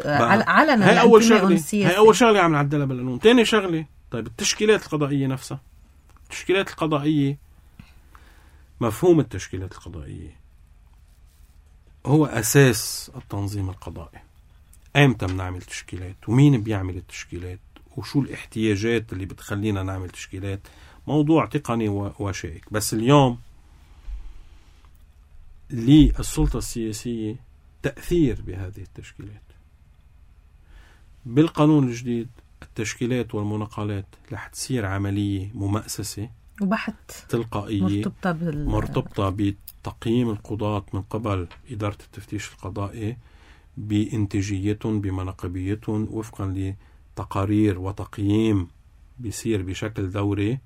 علنا؟ هي اول شغله هي اول شغله عم نعدلها بالقانون. ثاني شغله طيب التشكيلات القضائيه نفسها. التشكيلات القضائيه، مفهوم التشكيلات القضائيه هو اساس التنظيم القضائي. امتى بنعمل تشكيلات ومين بيعمل التشكيلات وشو الاحتياجات اللي بتخلينا نعمل تشكيلات، موضوع تقني وشائك. بس اليوم للسلطة السياسية تأثير بهذه التشكيلات. بالقانون الجديد التشكيلات والمناقلات رح تصير عملية ممأسسة وبحث تلقائية مرتبطة, بال... مرتبطة بتقييم القضاة من قبل إدارة التفتيش القضائي بإنتاجيتهم بمناقبيتهم وفقا لتقارير وتقييم بيصير بشكل دوري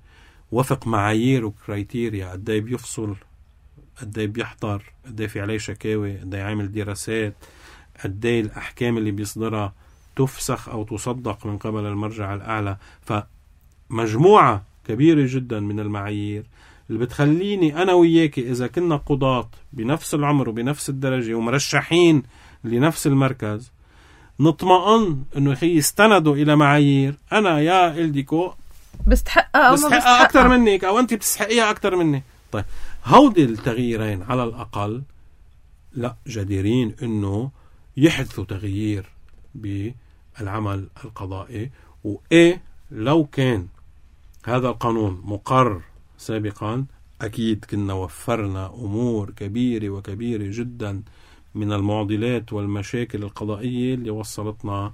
وفق معايير وكرايتيريا. قدي بيفصل، قدي بيحضر، قدي في عليه شكاوي، قدي عامل دراسات، قدي الأحكام اللي بيصدرها تفسخ أو تصدق من قبل المرجع الأعلى. فمجموعة كبيرة جدا من المعايير اللي بتخليني أنا وياك إذا كنا قضاة بنفس العمر وبنفس الدرجة ومرشحين لنفس المركز نطمئن إنه يخي يستندوا إلى معايير أنا يا إلديكو بستحقها أو بستحقها بستحقها أكتر منك أو أنت بتستحقيها أكتر مني. طيب هودي التغييرين على الأقل لا جديرين إنه يحدثوا تغيير بالعمل القضائي. وإيه لو كان هذا القانون مقر سابقا أكيد كنا وفرنا أمور كبيرة وكبيرة جدا من المعضلات والمشاكل القضائية اللي وصلتنا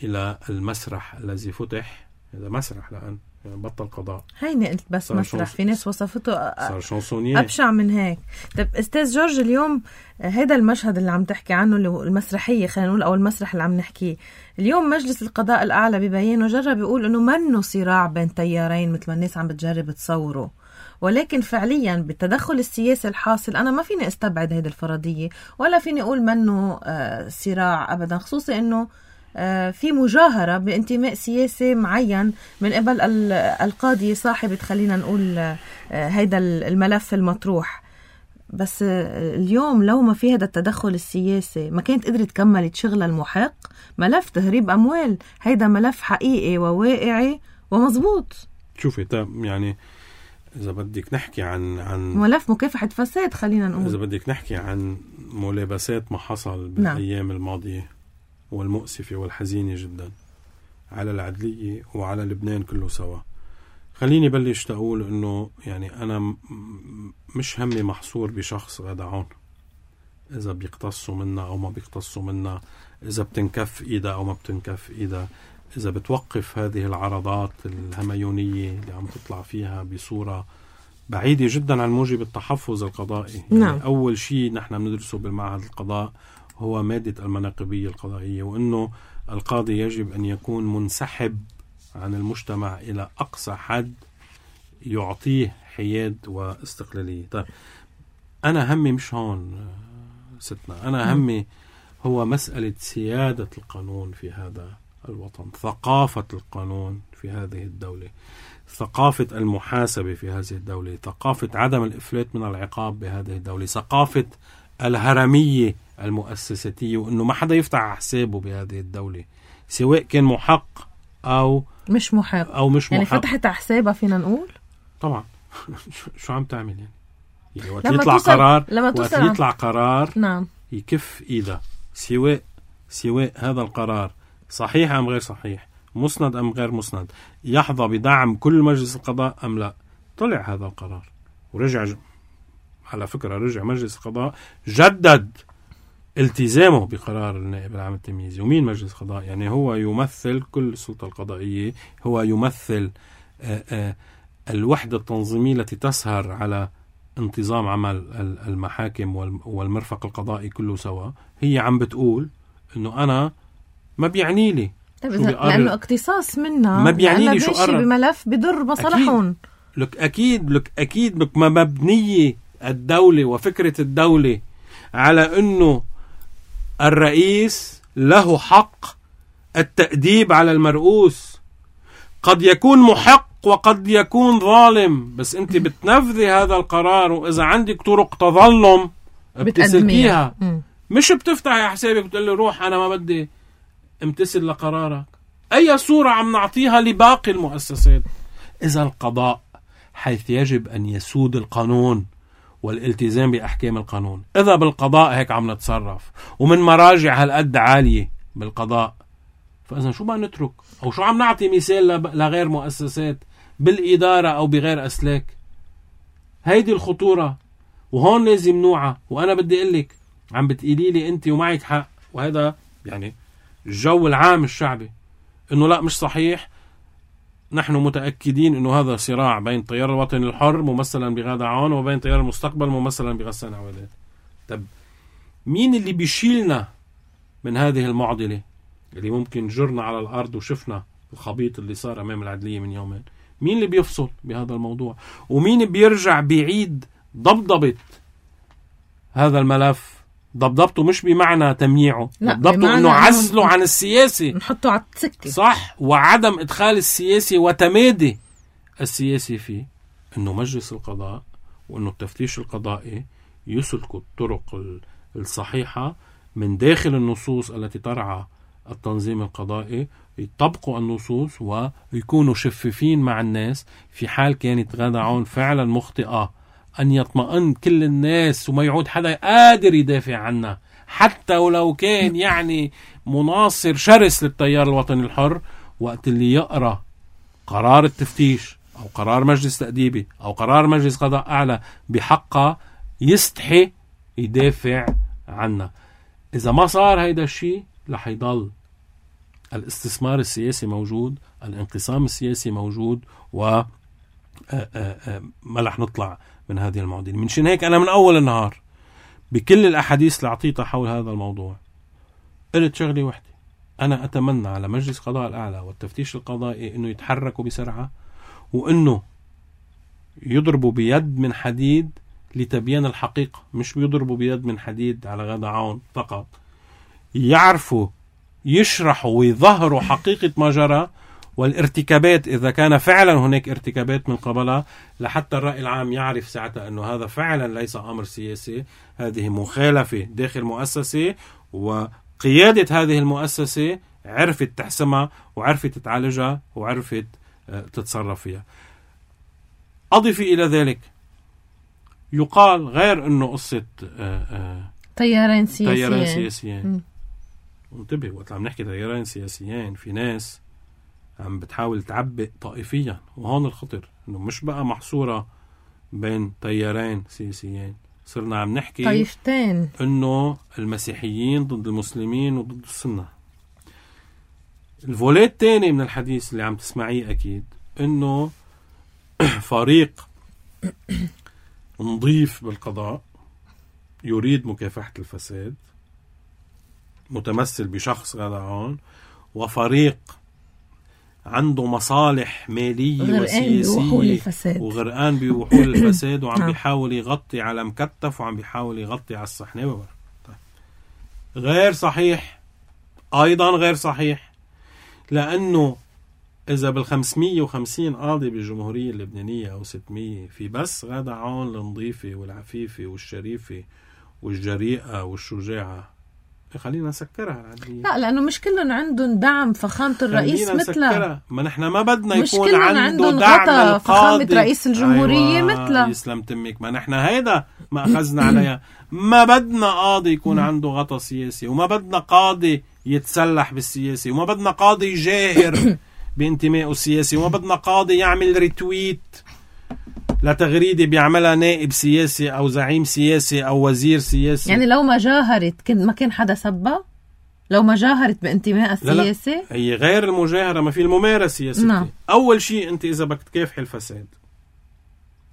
إلى المسرح الذي فتح. هذا مسرح لأن يعني بطل قضاء. هيني قلت بس مسرح، في ناس وصفته صار شانسونييه أبشع من هيك. طب أستاذ جورج، اليوم هذا المشهد اللي عم تحكي عنه اللي هو المسرحية خلينا نقول أو المسرح اللي عم نحكيه اليوم، مجلس القضاء الأعلى ببيانه جرب يقول إنه منه صراع بين تيارين مثل ما الناس عم بتجرب تصوره، ولكن فعليا بالتدخل السياسي الحاصل أنا ما فيني استبعد هذه الفرضية ولا فيني أقول منه آه صراع أبدا، خصوصي إنه آه في مجاهرة بانتماء سياسي معين من قبل القاضي صاحب خلينا نقول آه هيدا الملف المطروح. بس آه اليوم لو ما في هذا التدخل السياسي ما كانت قدرت تكمل شغل المحق. ملف تهريب أموال هيدا ملف حقيقي وواقعي ومزبوط. شوفي طيب يعني إذا بدك نحكي عن عن ملف مكافحة فساد خلينا نقول، إذا بدك نحكي عن ملابسات ما حصل بالأيام نعم. الماضية والمؤسفة والحزينة جدا على العدلية وعلى لبنان كله سوا، خليني بلش تقول إنه يعني أنا مش همي محصور بشخص غدا عون، إذا بيقتصوا منا أو ما بيقتصوا منا، إذا بتنكف إيدا أو ما بتنكف إيدا، إذا بتوقف هذه العرضات الهميونية اللي عم تطلع فيها بصورة بعيدة جدا عن موجب التحفظ القضائي. نعم. يعني أول شيء نحن بندرسه بالمعهد القضاء هو مادة المناقبية القضائية، وأنه القاضي يجب أن يكون منسحب عن المجتمع إلى أقصى حد يعطيه حياد واستقلالية. طيب أنا همي مش هون ستنا، أنا همي هو مسألة سيادة القانون في هذا الوطن، ثقافة القانون في هذه الدولة، ثقافة المحاسبة في هذه الدولة، ثقافة عدم الإفلات من العقاب بهذه الدولة، ثقافة الهرمية المؤسساتية وأنه ما حدا يفتح حسابه بهذه الدولة سواء كان محق أو مش محق أو مش يعني محق. فتحت حسابها فينا نقول طبعا شو عم تعمل يعني, يعني وقت يطلع قرار وقت يطلع قرار نعم يكف إيدا سواء سواء هذا القرار صحيح أم غير صحيح، مسند أم غير مسند، يحظى بدعم كل مجلس القضاء أم لا. طلع هذا القرار ورجع ج... على فكرة رجع مجلس القضاء جدد التزامه بقرار النائب العام التمييزي. ومين مجلس القضاء؟ يعني هو يمثل كل السلطة القضائية، هو يمثل آآ آآ الوحدة التنظيمية التي تسهر على انتظام عمل المحاكم والمرفق القضائي كله سوا. هي عم بتقول إنه أنا ما بيعني لي لأنه اقتصاص منا ما بيعني لي شو قرر بملف بضر مصالحهم. لك أكيد لك أكيد لك ما مبنية الدولة وفكرة الدولة على أنه الرئيس له حق التأديب على المرؤوس. قد يكون محق يحق وقد يكون ظالم، بس انت بتنفذي هذا القرار، واذا عندك طرق تظلم بتسلكيها، مش بتفتحي حسابك بتقولي روح انا ما بدي امتثل لقرارك. اي صورة عم نعطيها لباقي المؤسسات؟ اذا القضاء حيث يجب ان يسود القانون والالتزام بأحكام القانون، إذا بالقضاء هيك عم نتصرف ومن مراجع هالقد عالية بالقضاء، فإذا شو ما نترك؟ أو شو عم نعطي مثال لغير مؤسسات بالإدارة أو بغير أسلاك؟ هيدي الخطورة، وهون لازم نوعى. وأنا بدي أقلك عم بتقولي لي أنت ومعك حق، وهذا يعني الجو العام الشعبي إنه لا مش صحيح. نحن متأكدين إنه هذا صراع بين تيار الوطن الحر ممثلا بغادة عون وبين تيار المستقبل ممثلا بغسان عوادات. طب مين اللي بيشيلنا من هذه المعضلة اللي ممكن جرنا على الأرض وشفنا الخبيط اللي صار أمام العدلية من يومين؟ مين اللي بيفصل بهذا الموضوع؟ ومين بيرجع بيعيد ضبضبة هذا الملف؟ ضبضبته مش بمعنى تمييعه، ضبضبته انه عزله عن السياسي، نحطه على السكة، صح، وعدم ادخال السياسي وتمادي السياسي فيه. انه مجلس القضاء وانه التفتيش القضائي يسلكوا الطرق الصحيحة من داخل النصوص التي ترعى التنظيم القضائي، يطبقوا النصوص ويكونوا شفافين مع الناس. في حال كانت غادة عون فعلا مخطئة، أن يطمئن كل الناس وما يعود حدا قادر يدافع عنها، حتى ولو كان يعني مناصر شرس للتيار الوطني الحر. وقت اللي يقرأ قرار التفتيش أو قرار مجلس تأديبي أو قرار مجلس قضاء أعلى بحقه يستحي يدافع عنها. إذا ما صار هيدا الشيء رح يضل الاستثمار السياسي موجود، الانقسام السياسي موجود، و ما رح نطلع من هذه المعضلة. منشان هيك أنا من أول النهار بكل الأحاديث اللي أعطيتها حول هذا الموضوع قلت شغلي وحدي: أنا أتمنى على مجلس قضاء الأعلى والتفتيش القضائي إنه يتحركوا بسرعة، وإنه يضربوا بيد من حديد لتبيان الحقيقة، مش بيضربوا بيد من حديد على غادة عون فقط، يعرفوا يشرحوا ويظهروا حقيقة ما جرى والارتكابات إذا كان فعلا هناك ارتكابات من قبلها، لحتى الرأي العام يعرف ساعتها أنه هذا فعلا ليس أمر سياسي، هذه مخالفة داخل مؤسسة، وقيادة هذه المؤسسة عرفت تحسمها وعرفت تعالجها وعرفت تتصرف فيها. أضفي إلى ذلك يقال غير أنه قصة تيارين سياسيين تيارين سياسيين انتبه، وقت عم نحكي تيارين سياسيين في ناس عم بتحاول تعبئ طائفيا، وهون الخطر انه مش بقى محصورة بين تيارين سياسيين، صرنا عم نحكي طائفتين، انه المسيحيين ضد المسلمين وضد السنة. الفوليت الثاني من الحديث اللي عم تسمعيه اكيد انه فريق نظيف بالقضاء يريد مكافحة الفساد متمثل بشخص غادة عون، وفريق عنده مصالح مالية وسياسية وغرقان بوحول الفساد وعم بيحاول يغطي على مكتف وعم بيحاول يغطي على الصحنة. غير صحيح، أيضا غير صحيح، لأنه إذا بالخمسمية وخمسين قاضي بالجمهورية اللبنانية أو ستمية في بس غادة عون النظيفة والعفيفة والشريفة والجريئة والشجاعة، خلينا نسكرها العدلية. لا، لأنه مش كلهم عندهم دعم فخامة الرئيس مثله. ما نحن ما بدنا يكون عنده دعم القاضي فخامة رئيس الجمهورية. أيوة مثله. يسلم تمك، ما نحن هيدا ما أخذنا عليها. ما بدنا قاضي يكون عنده غطاء سياسي، وما بدنا قاضي يتسلح بالسياسي، وما بدنا قاضي جاهر بانتمائه السياسي، وما بدنا قاضي يعمل ريتويت لتغريدة بيعملها نائب سياسي أو زعيم سياسي أو وزير سياسي. يعني لو ما جاهرت كن ما كان حدا سبا، لو ما جاهرت بانتماء السياسي. لا لا. هي غير المجاهرة، ما في الممارسة يا ستي. نعم. أول شيء أنت إذا بدك تكافح الفساد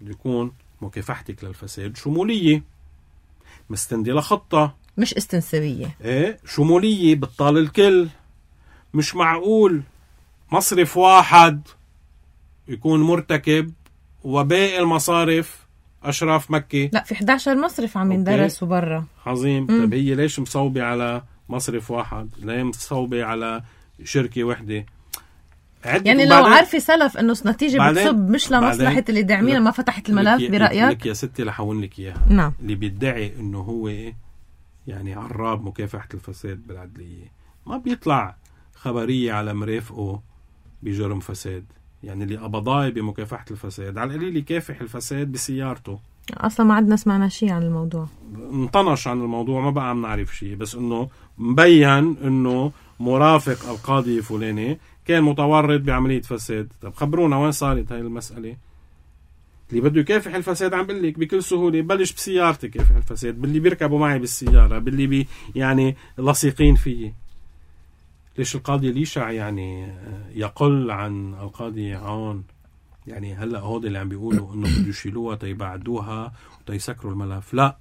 يكون مكافحتك للفساد شمولية، مستندي لخطة، مش استنسابية. إيه، شمولية بتطال الكل. مش معقول مصرف واحد يكون مرتكب وباقي المصارف أشراف مكة. لا، في إحدى عشر مصرف عم يندرسوا برا. عظيم. طب هي ليش مصوبة على مصرف واحد؟ ليه مصوبة على شركة واحدة؟ يعني لو عارفة سلف انه نتيجة بتصب مش لمصلحة اللي داعمينها ما فتحت الملف برأيك؟ لك يا ستي لحون لك اياها. نعم. اللي بيدعي انه هو يعني عراب مكافحة الفساد بالعدلية ما بيطلع خبرية على مرافقه بجرم فساد. يعني اللي قبضاي بمكافحة الفساد على القليل يكافح الفساد بسيارته. اصلا ما عندنا سمعنا شيء عن الموضوع، انطنش عن الموضوع، ما بقى عم نعرف شيء، بس انه مبين انه مرافق القاضي فلاني كان متورط بعملية فساد. طب خبرونا وين صارت هاي المسألة؟ اللي بده يكافح الفساد عم بقول لك بكل سهولة بلش بسيارتي كافح الفساد، باللي بيركبوا معي بالسيارة، باللي بي يعني لصيقين فيه. ليش القاضي ليشع يعني يقل عن القاضي عون؟ يعني هلأ هود اللي عم بيقولوا انه بده يشيلوها تيبعدوها وتيسكروا الملف. لا،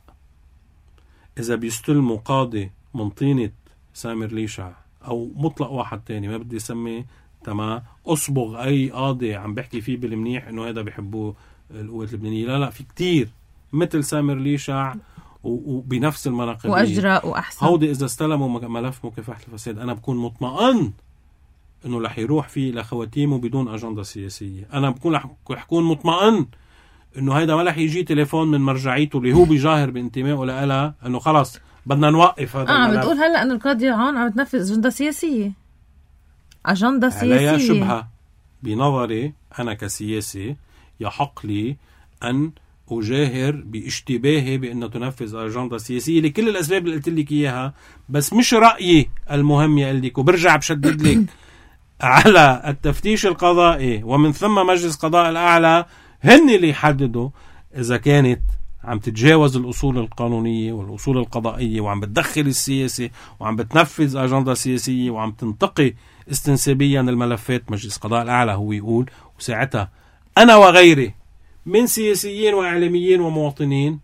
اذا بيستلموا قاضي من طينة سامر ليشع او مطلق واحد تاني ما بدي يسمي تمام اصبغ اي قاضي عم بحكي فيه بالمنيح انه هذا بيحبوه القوات اللبنانية. لا لا، في كتير مثل سامر ليشع وبنفس المناقب واجرى واحسن. هودي اذا استلموا ملف مكافحة الفساد انا بكون مطمئن انه رح يروح فيه لخواتيمه بدون اجندة سياسية. انا بكون رح يكون مطمئن انه هيدا ما رح يجي تليفون من مرجعيته اللي هو بيجاهر بانتمائه لها انه خلص بدنا نوقف هذا اه الملف. بتقول هلا انه القاضي عون عم تنفذ اجندة سياسية. اجندة سياسية عليها شبهة. بنظري انا كسياسي يحق لي ان أجاهر باشتباهي بأنه تنفذ أجندة سياسية لكل الأسباب اللي قلت لك إياها، بس مش رأيي المهم يقلك. وبرجع بشدد لك على التفتيش القضائي ومن ثم مجلس قضاء الأعلى، هن اللي يحددوا إذا كانت عم تتجاوز الأصول القانونية والأصول القضائية وعم بتدخل السياسة وعم بتنفذ أجندة سياسية وعم تنتقي استنسابيا الملفات. مجلس قضاء الأعلى هو يقول، وساعتها أنا وغيري من سياسيين وإعلاميين ومواطنين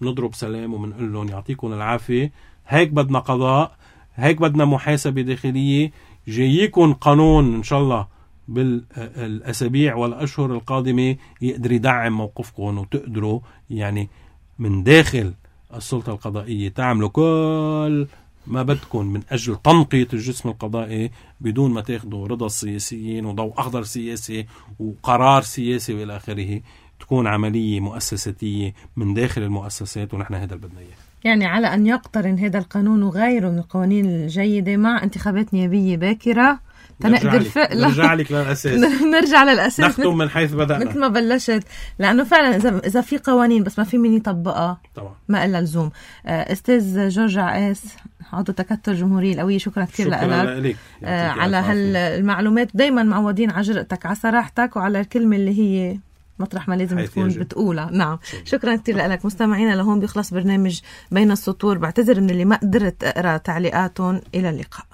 نضرب سلام ومنقول لهم يعطيكم العافية، هيك بدنا قضاء، هيك بدنا محاسبة داخلية، جاييكم قانون إن شاء الله بالأسابيع والأشهر القادمة يقدر يدعم موقفكم وتقدروا يعني من داخل السلطة القضائية تعملوا كل ما بدكم من أجل تنقية الجسم القضائي بدون ما تاخدوا رضا السياسيين وضوء أخضر سياسي وقرار سياسي وإلى آخره. تكون عملية مؤسساتية من داخل المؤسسات، ونحن هذا اللي بدنا إياه. يعني على أن يقترن هذا القانون وغيره من القوانين الجيدة مع انتخابات نيابية باكرة تنقدر فعلا نرجع لك للأساس نرجع للأساس نختم من حيث بدأنا مثل ما بلشت، لأنه فعلا إذا إذا في قوانين بس ما في من يطبقها طبعا ما إلا لزوم. أستاذ جورج عقاس عضو تكتل الجمهورية القوية، شكرا كثير لك آه على هالمعلومات. دايما معودين على جرأتك، على صراحتك، وعلى الكلمة اللي هي مطرح ما لازم تكون بتقولها. نعم شكرا, شكرا كثير لك. مستمعينا لهون بيخلص برنامج بين السطور. بعتذر من اللي ما قدرت أقرأ تعليقاتهم. إلى اللقاء.